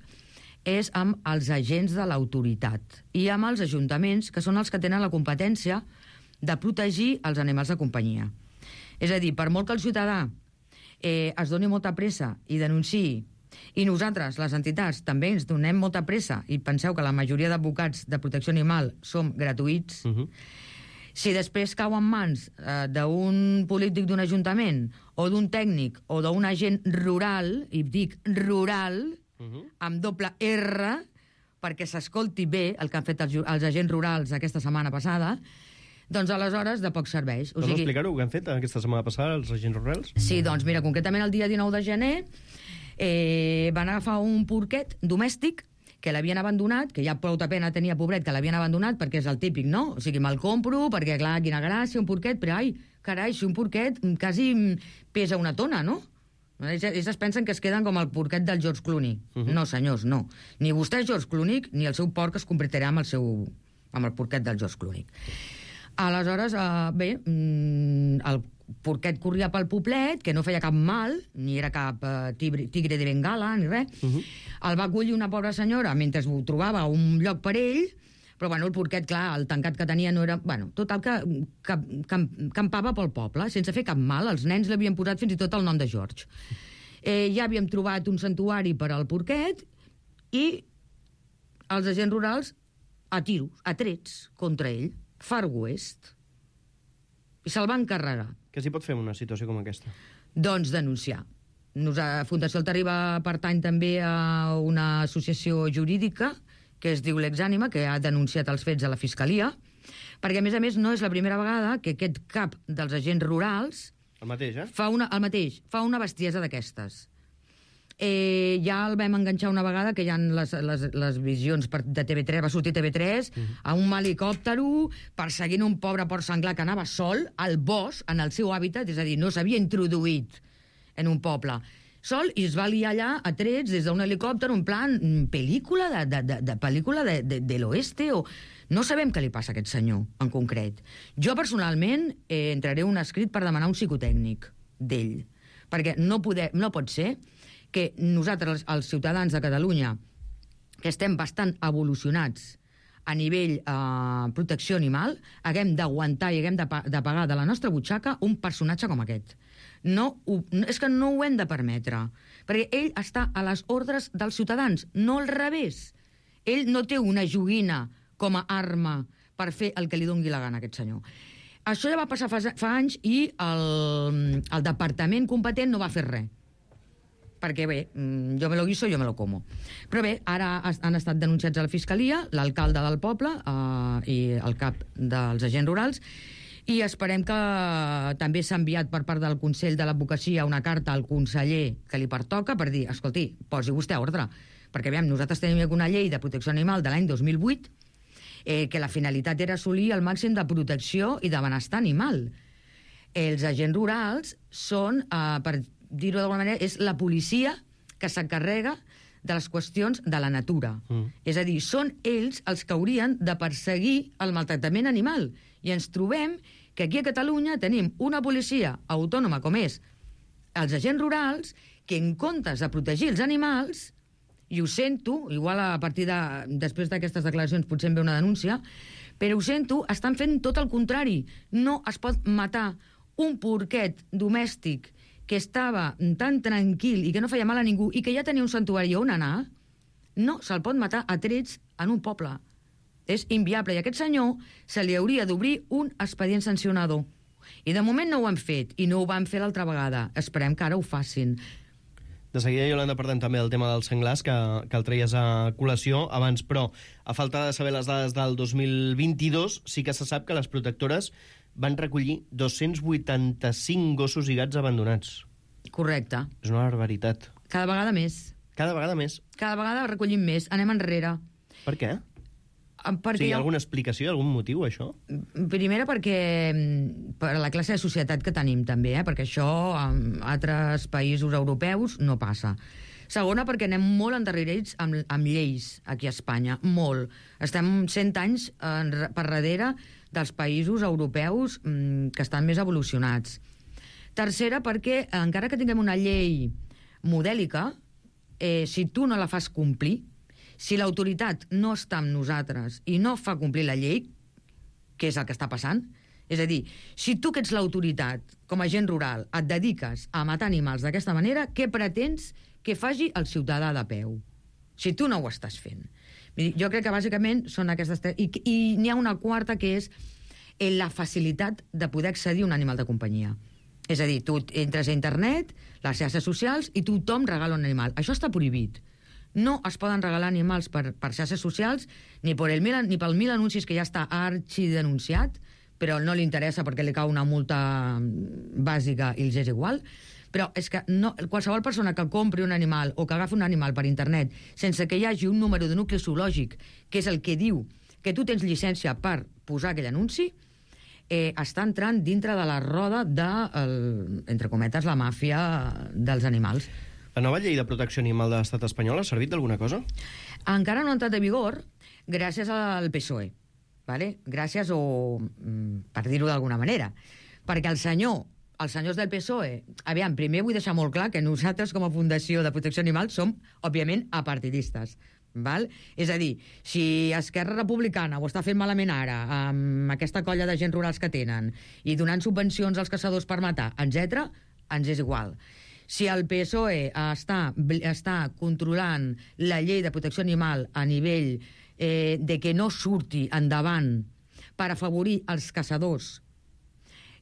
Speaker 15: és amb els agents de l'autoritat i amb els ajuntaments, que són els que tenen la competència de protegir els animals de companyia. És a dir, per molt que el ciutadà eh, es doni molta pressa i denunciï, i nosaltres, les entitats, també ens donem molta pressa, i penseu que la majoria d'advocats de protecció animal som gratuïts, uh-huh. si després cau en mans eh, d'un polític d'un ajuntament, o d'un tècnic, o d'un agent rural, i dic rural, uh-huh. amb doble R, perquè s'escolti bé el que han fet els, els agents rurals aquesta setmana passada, doncs aleshores de poc serveix.
Speaker 2: O Pots sigui... explicar-ho, què han fet aquesta setmana passada els agents rurals?
Speaker 15: Sí, doncs mira, concretament el dia dinou de gener eh, van agafar un porquet domèstic que l'havien abandonat, que ja prou pena tenia, pobret, que l'havien abandonat, perquè és el típic, no? O sigui, me'l compro, perquè, clar, quina gràcia, un porquet, però, ai, carai, si un porquet quasi pesa una tona, no? Ells, ells es pensen que es queden com el porquet del George Clooney. Uh-huh. No, senyors, no. Ni vostè és George Clooney, ni el seu porc es convertirà amb el seu amb el porquet del George Clooney. Aleshores, eh, bé, el porquet corria pel poblet, que no feia cap mal, ni era cap eh, tigre, tigre de Bengala, ni res. Uh-huh. El va acollir una pobra senyora mentre ho trobava un lloc per ell, però bueno, el porquet, clar, el tancat que tenia no era... Bueno, tot el que, que, que campava pel poble, sense fer cap mal. Els nens l'havien posat fins i tot el nom de George. Eh, ja havíem trobat un santuari per al porquet i els agents rurals a tiros, a trets contra ell. Far West, i se'l van carregar.
Speaker 2: Què s'hi pot fer en una situació com aquesta?
Speaker 15: Doncs denunciar. Nosaltres, Fundació Altarriba pertany també a una associació jurídica que es diu L'Exànima, que ha denunciat els fets a la Fiscalia, perquè, a més a més, no és la primera vegada que aquest cap dels agents rurals...
Speaker 2: El mateix, eh?
Speaker 15: Fa una, el mateix, fa una bestiesa d'aquestes. Eh, ja el vam enganxar una vegada, que hi ha les, les, les visions per, de T V tres, va sortir T V tres, uh-huh. a un helicòptero perseguint un pobre porc senglar que anava sol al bosc, en el seu hàbitat, és a dir, no s'havia introduït en un poble. Sol, i es va liar allà a trets des d'un helicòpter, en plan pel·lícula de, de, de, de pel·lícula de, de, de l'oeste, o... No sabem què li passa a aquest senyor, en concret. Jo, personalment, eh, entraré un escrit per demanar un psicotècnic d'ell, perquè no, poder, no pot ser que nosaltres, els ciutadans de Catalunya, que estem bastant evolucionats a nivell eh, protecció animal, haguem d'aguantar i haguem de, de pagar de la nostra butxaca un personatge com aquest. No, ho, és que no ho hem de permetre, perquè ell està a les ordres dels ciutadans, no al revés. Ell no té una joguina com a arma per fer el que li doni la gana a aquest senyor. Això ja va passar fa, fa anys i el, el departament competent no va fer res. Perquè bé, jo me lo guiso, jo me lo como. Però bé, ara han estat denunciats a la Fiscalia, l'alcalde del poble eh, i el cap dels agents rurals, i esperem que també s'ha enviat per part del Consell de l'Advocacia una carta al conseller que li pertoca per dir, escolti, posi vostè ordre, perquè veiem, nosaltres tenim una llei de protecció animal de l'any dos mil vuit eh, que la finalitat era assolir el màxim de protecció i de benestar animal. Els agents rurals són, eh, per dir-ho d'alguna manera, és la policia que s'encarrega de les qüestions de la natura. Mm. És a dir, són ells els que haurien de perseguir el maltractament animal. I ens trobem que aquí a Catalunya tenim una policia autònoma com és els agents rurals que en comptes de protegir els animals, i ho sento, igual a partir de, després d'aquestes declaracions potser em ve una denúncia, però ho sento, estan fent tot el contrari. No es pot matar un porquet domèstic que estava tan tranquil i que no feia mal a ningú i que ja tenia un santuari on anar, no se'l pot matar a trets en un poble. És inviable. I a aquest senyor se li hauria d'obrir un expedient sancionador. I de moment no ho han fet, i no ho van fer l'altra vegada. Esperem que ara ho facin.
Speaker 2: De seguida, Iolanda, parlem també del tema dels senglars, que, que el treies a col·lació abans, però a falta de saber les dades del dos mil vint-i-dos, sí que se sap que les protectores van recollir dos-cents vuitanta-cinc gossos i gats abandonats.
Speaker 15: Correcte.
Speaker 2: És una barbaritat.
Speaker 15: Cada vegada més.
Speaker 2: Cada vegada més?
Speaker 15: Cada vegada recollim més. Anem enrere.
Speaker 2: Per què?
Speaker 15: Perquè
Speaker 2: sí, hi ha alguna explicació, algun motiu, això?
Speaker 15: Primera, perquè per la classe de societat que tenim, també, eh? Perquè això en altres països europeus no passa. Segona, perquè anem molt endarrerits amb, amb lleis aquí a Espanya, molt. Estem cent anys en, per darrere dels països europeus mmm, que estan més evolucionats. Tercera, perquè encara que tinguem una llei modèlica, eh, si tu no la fas complir, si l'autoritat no està amb nosaltres i no fa complir la llei, que és el que està passant, és a dir, si tu que ets l'autoritat, com a agent rural, et dediques a matar animals d'aquesta manera, què pretens que faci el ciutadà de peu? Si tu no ho estàs fent. Jo crec que bàsicament són aquestes... I, i n'hi ha una quarta, que és la facilitat de poder accedir a un animal de companyia. És a dir, tu entres a internet, les xarxes socials, i tothom regala un animal. Això està prohibit. No es poden regalar animals per, per xarxes socials ni, per el mil, ni pel mil anuncis que ja està arxidenunciat, però no li interessa perquè li cau una multa bàsica i els és igual. Però és que no, qualsevol persona que compri un animal o que agafi un animal per internet sense que hi hagi un número de nucli zoològic, que és el que diu que tu tens llicència per posar aquell anunci, eh, està entrant dintre de la roda de, el, entre cometes, la màfia dels animals.
Speaker 2: La nova llei de protecció animal de l'estat espanyol ha servit d'alguna cosa?
Speaker 15: Encara no ha entrat en vigor gràcies al P S O E. Vale? Gràcies o... per dir-ho d'alguna manera. Perquè el senyor, els senyors del P S O E... Aviam, primer vull deixar molt clar que nosaltres com a Fundació de Protecció Animal som, òbviament, apartidistes. Val? És a dir, si Esquerra Republicana ho està fent malament ara, amb aquesta colla de gent rurals que tenen, i donant subvencions als caçadors per matar, etcètera, ens és igual. Si el P S O E està, està controlant la llei de protecció animal a nivell eh, de que no surti endavant per afavorir els caçadors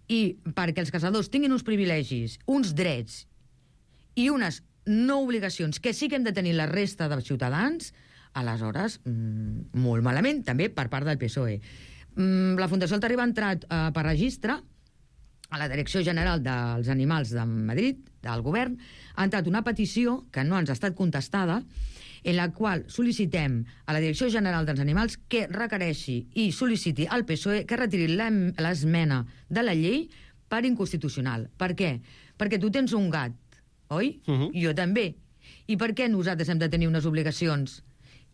Speaker 15: i perquè els caçadors tinguin uns privilegis, uns drets i unes no obligacions que sí que hem de tenir la resta dels ciutadans, aleshores, mmm, molt malament, també per part del P S O E. Mm, la Fundació El Terriba ha entrat eh, per registre a la Direcció General dels Animals de Madrid, del govern, ha entrat una petició que no ens ha estat contestada, en la qual sol·licitem a la Direcció General dels Animals que requereixi i sol·liciti al P S O E que retiri l'esmena de la llei per inconstitucional. Per què? Perquè tu tens un gat, oi? Uh-huh. Jo també. I per què nosaltres hem de tenir unes obligacions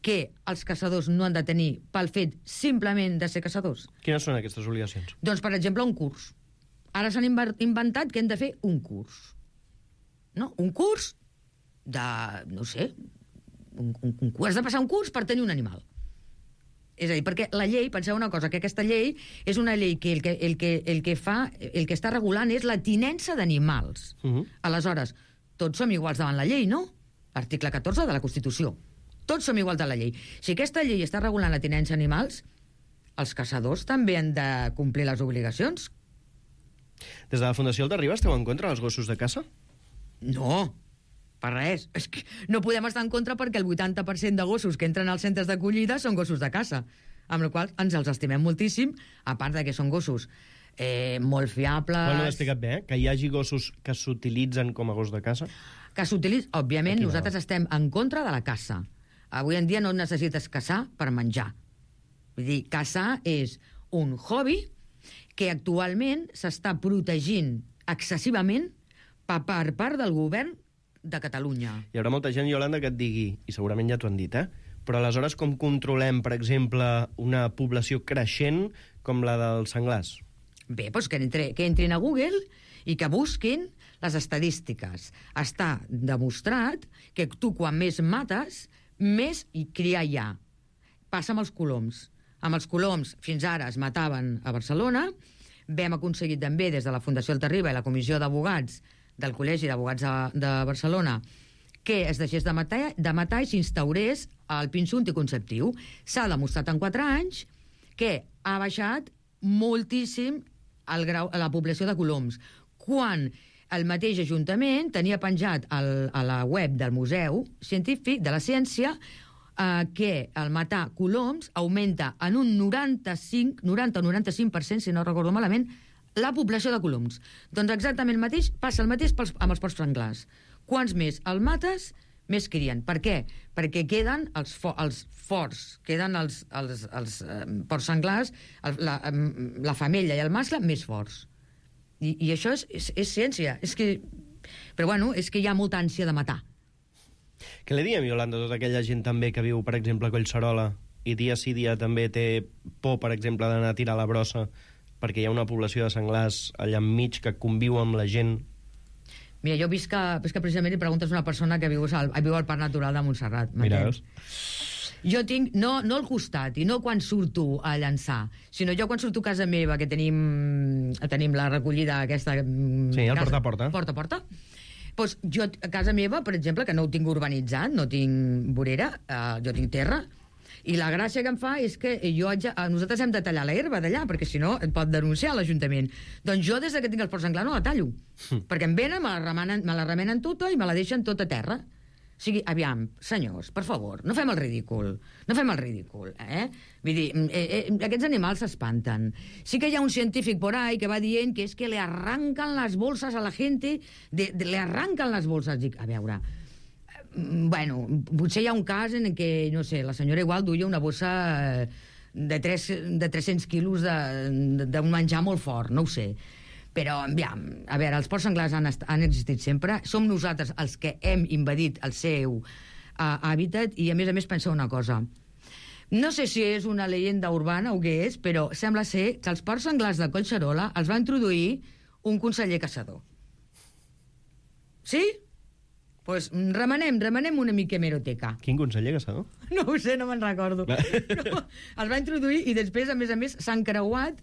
Speaker 15: que els caçadors no han de tenir pel fet simplement de ser caçadors?
Speaker 2: Quines són aquestes obligacions?
Speaker 15: Doncs, per exemple, un curs. Ara s'han inventat que hem de fer un curs. No? Un curs de, no sé, un, un, un, has de passar un curs per tenir un animal. És a dir, perquè la llei, penseu una cosa, que aquesta llei és una llei que el que, el que, el que fa, el que està regulant és la tinença d'animals. Uh-huh. Aleshores, tots som iguals davant la llei, no? Article catorze de la Constitució. Tots som iguals davant la llei. Si aquesta llei està regulant la tinença d'animals, els caçadors també han de complir les obligacions.
Speaker 2: Des de la Fundació El Terriba esteu en contra dels gossos de caça?
Speaker 15: No, per res. És que no podem estar en contra perquè el vuitanta per cent de gossos que entren als centres d'acollida són gossos de caça, amb la qual ens els estimem moltíssim, a part de que són gossos eh, molt fiables...
Speaker 2: Bueno, l'he explicat bé, eh? Que hi hagi gossos que s'utilitzen com a gos de caça?
Speaker 15: Que s'utilitzen... Òbviament,
Speaker 2: Aquí
Speaker 15: nosaltres
Speaker 2: no.
Speaker 15: estem en contra de la caça. Avui en dia no necessites caçar per menjar. Vull dir, caçar és un hobby que actualment s'està protegint excessivament per part del govern de Catalunya.
Speaker 2: Hi haurà molta gent, Iolanda, que et digui, i segurament ja t'ho han dit, eh? Però aleshores com controlem, per exemple, una població creixent com la dels senglars?
Speaker 15: Bé, doncs que, entre, que entrin a Google i que busquin les estadístiques. Està demostrat que tu quan més mates, més hi cria hi ha. Passa amb els coloms. Amb els coloms, fins ara es mataven a Barcelona. Vam aconseguir també, des de la Fundació Alta-riba i la Comissió d'Abogats del Col·legi d'Abogats de, de Barcelona, que es deixés de matar, de matar i s'instaurés el pinso anticonceptiu. S'ha demostrat en quatre anys que ha baixat moltíssim el grau, la població de coloms. Quan el mateix Ajuntament tenia penjat el, a la web del Museu Científic de la Ciència eh, que el matar coloms augmenta en un noranta-cinc, noranta o noranta-cinc per cent, si no recordo malament, la població de coloms. Doncs exactament el mateix, passa el mateix pels, amb els porcs senglars. Quants més el mates, més crien. Per què? Perquè queden els, fo els forts, queden els, els, els eh, porcs senglars, el, la, la femella i el mascle, més forts. I, i això és, és, és ciència. És que... Però bueno, és que hi ha molta ànsia de matar.
Speaker 2: Què li diem, Iolanda, a tota aquella gent també que viu, per exemple, a Collserola i dia sí dia també té por, per exemple, d'anar a tirar la brossa perquè hi ha una població de senglars allà enmig que conviu amb la gent?
Speaker 15: Mira, jo visc que, visc que precisament li preguntes a una persona que viu al, viu al Parc Natural de Montserrat.
Speaker 2: Mira, veus?
Speaker 15: Jo tinc, no, no al costat, i no quan surto a llançar, sinó jo quan surto a casa meva, que tenim, tenim la recollida aquesta...
Speaker 2: Sí, el porta a porta.
Speaker 15: Porta a porta. Doncs jo, a casa meva, per exemple, que no ho tinc urbanitzat, no tinc vorera, eh, jo tinc terra, i la gràcia que em fa és que jo haig, nosaltres hem de tallar l'herba d'allà, perquè si no et pot denunciar l'Ajuntament. Doncs jo, des que tinc el porc senglar, no la tallo. Mm. Perquè em venen, me la, remenen, me la remenen tota i me la deixen tota a terra. O sigui, aviam, senyors, per favor, no fem el ridícul. No fem el ridícul, eh? Vull dir, eh, eh, aquests animals s'espanten. Sí que hi ha un científic por ahí que va dient que és que le arrancan les bolses a la gente, de, de, le arrancan les bolses. Dic, a veure... Bueno, potser hi ha un cas en què, no sé, la senyora igual duia una bossa de, tres, de tres-cents quilos d'un menjar molt fort, no ho sé. Però, aviam, a veure, els porcs senglars han, han existit sempre, som nosaltres els que hem invadit el seu uh, hàbitat, i a més a més penseu una cosa. No sé si és una leyenda urbana o què és, però sembla ser que els porcs senglars de Collserola els va introduir un conseller caçador. Sí? Pues remenem, remenem una mica hemeroteca.
Speaker 2: Quin conseller caçador?
Speaker 15: No ho sé, no me'n recordo. No, els va introduir i després, a més a més, s'han creuat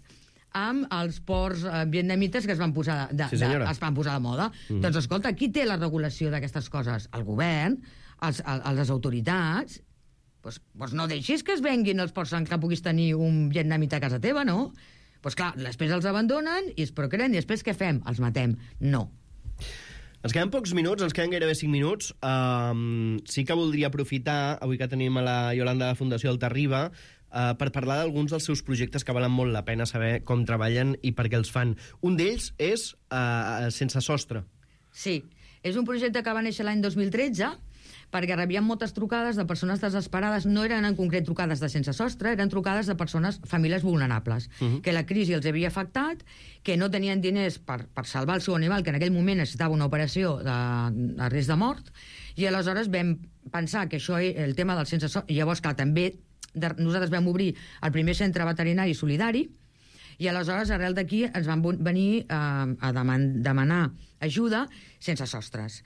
Speaker 15: amb els porcs eh, vietnamites que es van posar de,
Speaker 2: sí,
Speaker 15: de, es van posar de moda. Mm. Doncs escolta, qui té la regulació d'aquestes coses? El govern, els, el, les autoritats. Pues, pues no deixis que es venguin els porcs que puguis tenir un vietnamita a casa teva, no? Pues clar, després els abandonen i es procreen i després què fem? Els matem. No.
Speaker 2: Ens queden pocs minuts, ens queden gairebé cinc minuts. Um, sí que voldria aprofitar, avui que tenim a la Iolanda de Fundació Alta-riba, uh, per parlar d'alguns dels seus projectes que valen molt la pena saber com treballen i per què els fan. Un d'ells és uh, Sense Sostre.
Speaker 15: Sí, és un projecte que va néixer l'any dos mil tretze, perquè rebien moltes trucades de persones desesperades. No eren en concret trucades de sense sostre, eren trucades de persones, famílies vulnerables, uh-huh. que la crisi els havia afectat, que no tenien diners per, per salvar el seu animal, que en aquell moment necessitava una operació de, de risc de mort, i aleshores vam pensar que això, el tema del sense sostre... Llavors, clar, també de, nosaltres vam obrir el primer centre veterinari solidari, i aleshores, arrel d'aquí, ens van venir eh, a deman demanar ajuda sense sostres.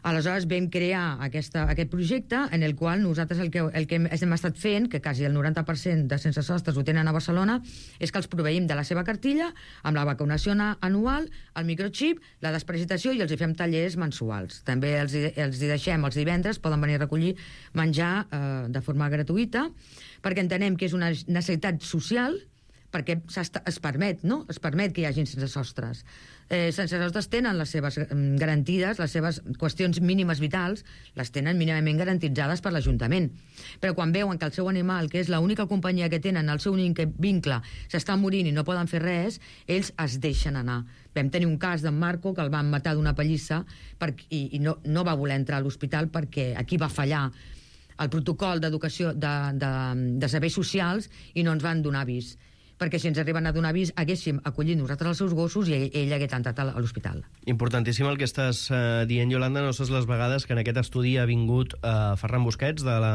Speaker 15: Aleshores vam crear aquesta, aquest projecte en el qual nosaltres el que, el que hem estat fent, que quasi el noranta per cent de sense sostres ho tenen a Barcelona, és que els proveïm de la seva cartilla, amb la vacunació anual, el microxip, la desparasitació, i els hi fem tallers mensuals. També els, els hi deixem els divendres, poden venir a recollir menjar eh, de forma gratuïta, perquè entenem que és una necessitat social, perquè es permet, no? Es permet que hi hagin sense sostres. Eh, sense sostres tenen les seves garantides, les seves qüestions mínimes vitals, les tenen mínimament garantitzades per l'Ajuntament. Però quan veuen que el seu animal, que és l'única companyia que tenen, el seu únic vincle, s'està morint i no poden fer res, ells es deixen anar. Vam tenir un cas d'en Marco, que el van matar d'una pallissa per, i, i no, no va voler entrar a l'hospital perquè aquí va fallar el protocol d'educació de, de, de serveis socials i no ens van donar avís. Perquè si ens arriben a donar avís, haguéssim acollit nosaltres els seus gossos i ell, ell hagués entrat a l'hospital.
Speaker 2: Importantíssim el que estàs eh, dient, Iolanda. No saps les vegades que en aquest estudi ha vingut eh, Ferran Busquets, de la,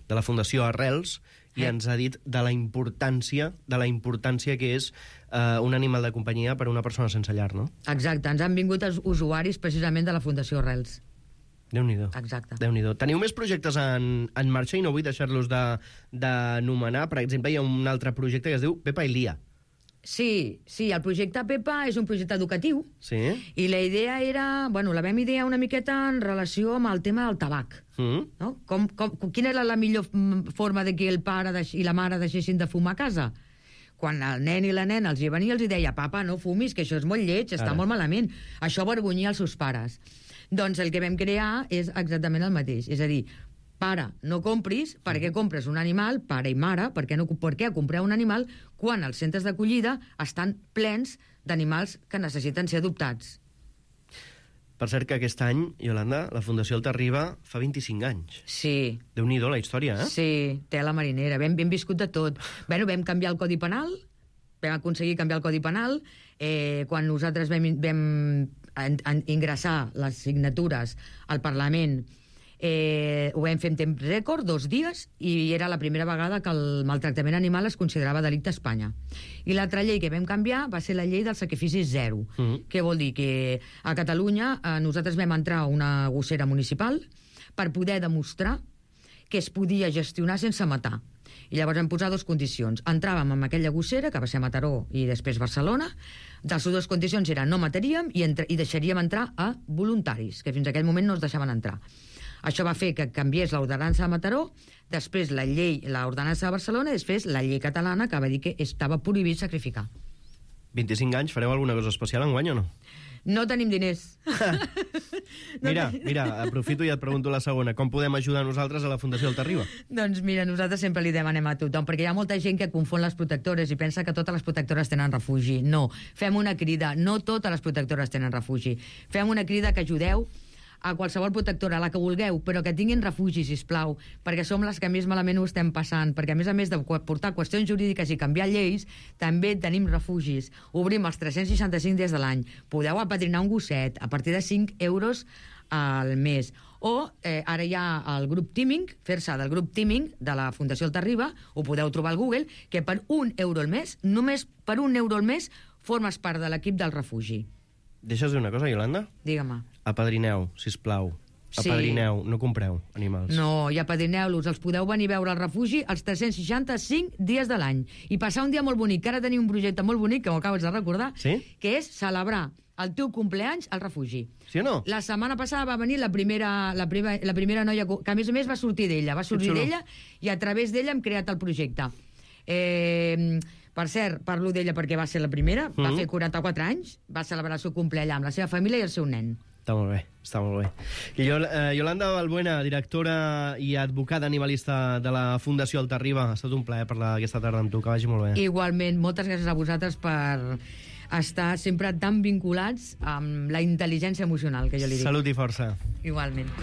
Speaker 2: de la Fundació Arrels, i ens ha dit de la importància de la importància que és eh, un animal de companyia per a una persona sense llar, no?
Speaker 15: Exacte, ens han vingut els usuaris precisament de la Fundació Arrels.
Speaker 2: Déu-n'hi-do.
Speaker 15: Exacte.
Speaker 2: Déu-n'hi-do. Teniu més projectes en, en marxa i no vull deixar-los d'anomenar. Per exemple, hi ha un altre projecte que es diu Pepa i Lia.
Speaker 15: Sí, sí, el projecte Pepa és un projecte educatiu.
Speaker 2: Sí.
Speaker 15: I la idea era... Bueno, la vam idear una miqueta en relació amb el tema del tabac.
Speaker 2: Mm.
Speaker 15: No? Com, com, quina era la millor forma de que el pare deix, i la mare deixessin de fumar a casa? Quan el nen i la nena els hi venia, els hi deia papa, no fumis, que això és molt lleig, està
Speaker 2: Ara.
Speaker 15: molt malament. Això avergonyia els seus pares. Doncs el que vam crear és exactament el mateix. És a dir, pare, no compris, per què compres un animal, pare i mare, per què, no, per què comprar un animal quan els centres d'acollida estan plens d'animals que necessiten ser adoptats?
Speaker 2: Per cert que aquest any, Iolanda, la Fundació Alta-riba fa vint-i-cinc anys.
Speaker 15: Sí.
Speaker 2: Déu-n'hi-do la història, eh?
Speaker 15: Sí, tela marinera. Vam, vam viscut de tot. Bueno, vam canviar el Codi Penal, vam aconseguir canviar el Codi Penal. Eh, quan nosaltres vam, vam en, en, ingressar les signatures al Parlament, eh, ho vam fer en temps rècord, dos dies, i era la primera vegada que el maltractament animal es considerava delicte a Espanya. I l'altra llei que vam canviar va ser la llei del sacrifici zero. Mm-hmm. Què vol dir? Que a Catalunya eh, nosaltres vam entrar a una gossera municipal per poder demostrar que es podia gestionar sense matar. I llavors vam posar dues condicions. Entràvem amb aquella gossera, que va ser a Mataró i després Barcelona. De les dues condicions eren no mataríem i, entre, i deixaríem entrar a voluntaris, que fins a aquell moment no es deixaven entrar. Això va fer que canviés l'ordenança de Mataró, després la llei, l'ordenança de Barcelona, i després la llei catalana, que va dir que estava prohibit sacrificar.
Speaker 2: vint-i-cinc anys, fareu alguna cosa especial enguany o no?
Speaker 15: No tenim diners.
Speaker 2: Mira, mira, aprofito i et pregunto la segona. Com podem ajudar nosaltres a la Fundació Alta-riba?
Speaker 15: Doncs mira, nosaltres sempre li demanem a tothom, perquè hi ha molta gent que confon les protectores i pensa que totes les protectores tenen refugi. No, fem una crida. No totes les protectores tenen refugi. Fem una crida que ajudeu a qualsevol protectora, a la que vulgueu, però que tinguin refugi, sisplau, perquè som les que més malament ho estem passant, perquè a més a més de portar qüestions jurídiques i canviar lleis, també tenim refugis. Obrim els tres-cents seixanta-cinc dies de l'any. Podeu apadrinar un gosset a partir de cinc euros al mes. O eh, ara hi ha el grup Teaming, fer-se del grup Teaming de la Fundació Alta-riba, ho podeu trobar al Google, que per un euro al mes, només per un euro al mes, formes part de l'equip del refugi.
Speaker 2: Deixes dir una cosa, Iolanda?
Speaker 15: Digue-me.
Speaker 2: Apadrineu, sisplau. Apadrineu, sí. No compreu animals.
Speaker 15: No, i apadrineu-los. Els podeu venir a veure al refugi els tres-cents seixanta-cinc dies de l'any. I passar un dia molt bonic, que ara tenim un projecte molt bonic, que m'ho acabes de recordar,
Speaker 2: sí?
Speaker 15: Que és celebrar el teu compleanys al refugi.
Speaker 2: Sí o no?
Speaker 15: La setmana passada va venir la primera, la primera, la primera noia, que a més a més va sortir d'ella, va sortir d'ella, i a través d'ella hem creat el projecte. Eh... Per cert, parlo d'ella perquè va ser la primera, mm-hmm. va fer quaranta-quatre anys, va celebrar el seu compleany amb la seva família i el seu nen.
Speaker 2: Està molt bé, està molt bé. I jo, eh, Iolanda Balbuena, directora i advocada animalista de la Fundació Alta-riba, ha estat un plaer parlar aquesta tarda amb tu, que vagi molt bé.
Speaker 15: Igualment, moltes gràcies a vosaltres per estar sempre tan vinculats amb la intel·ligència emocional, que jo li dic.
Speaker 2: Salut i força.
Speaker 15: Igualment.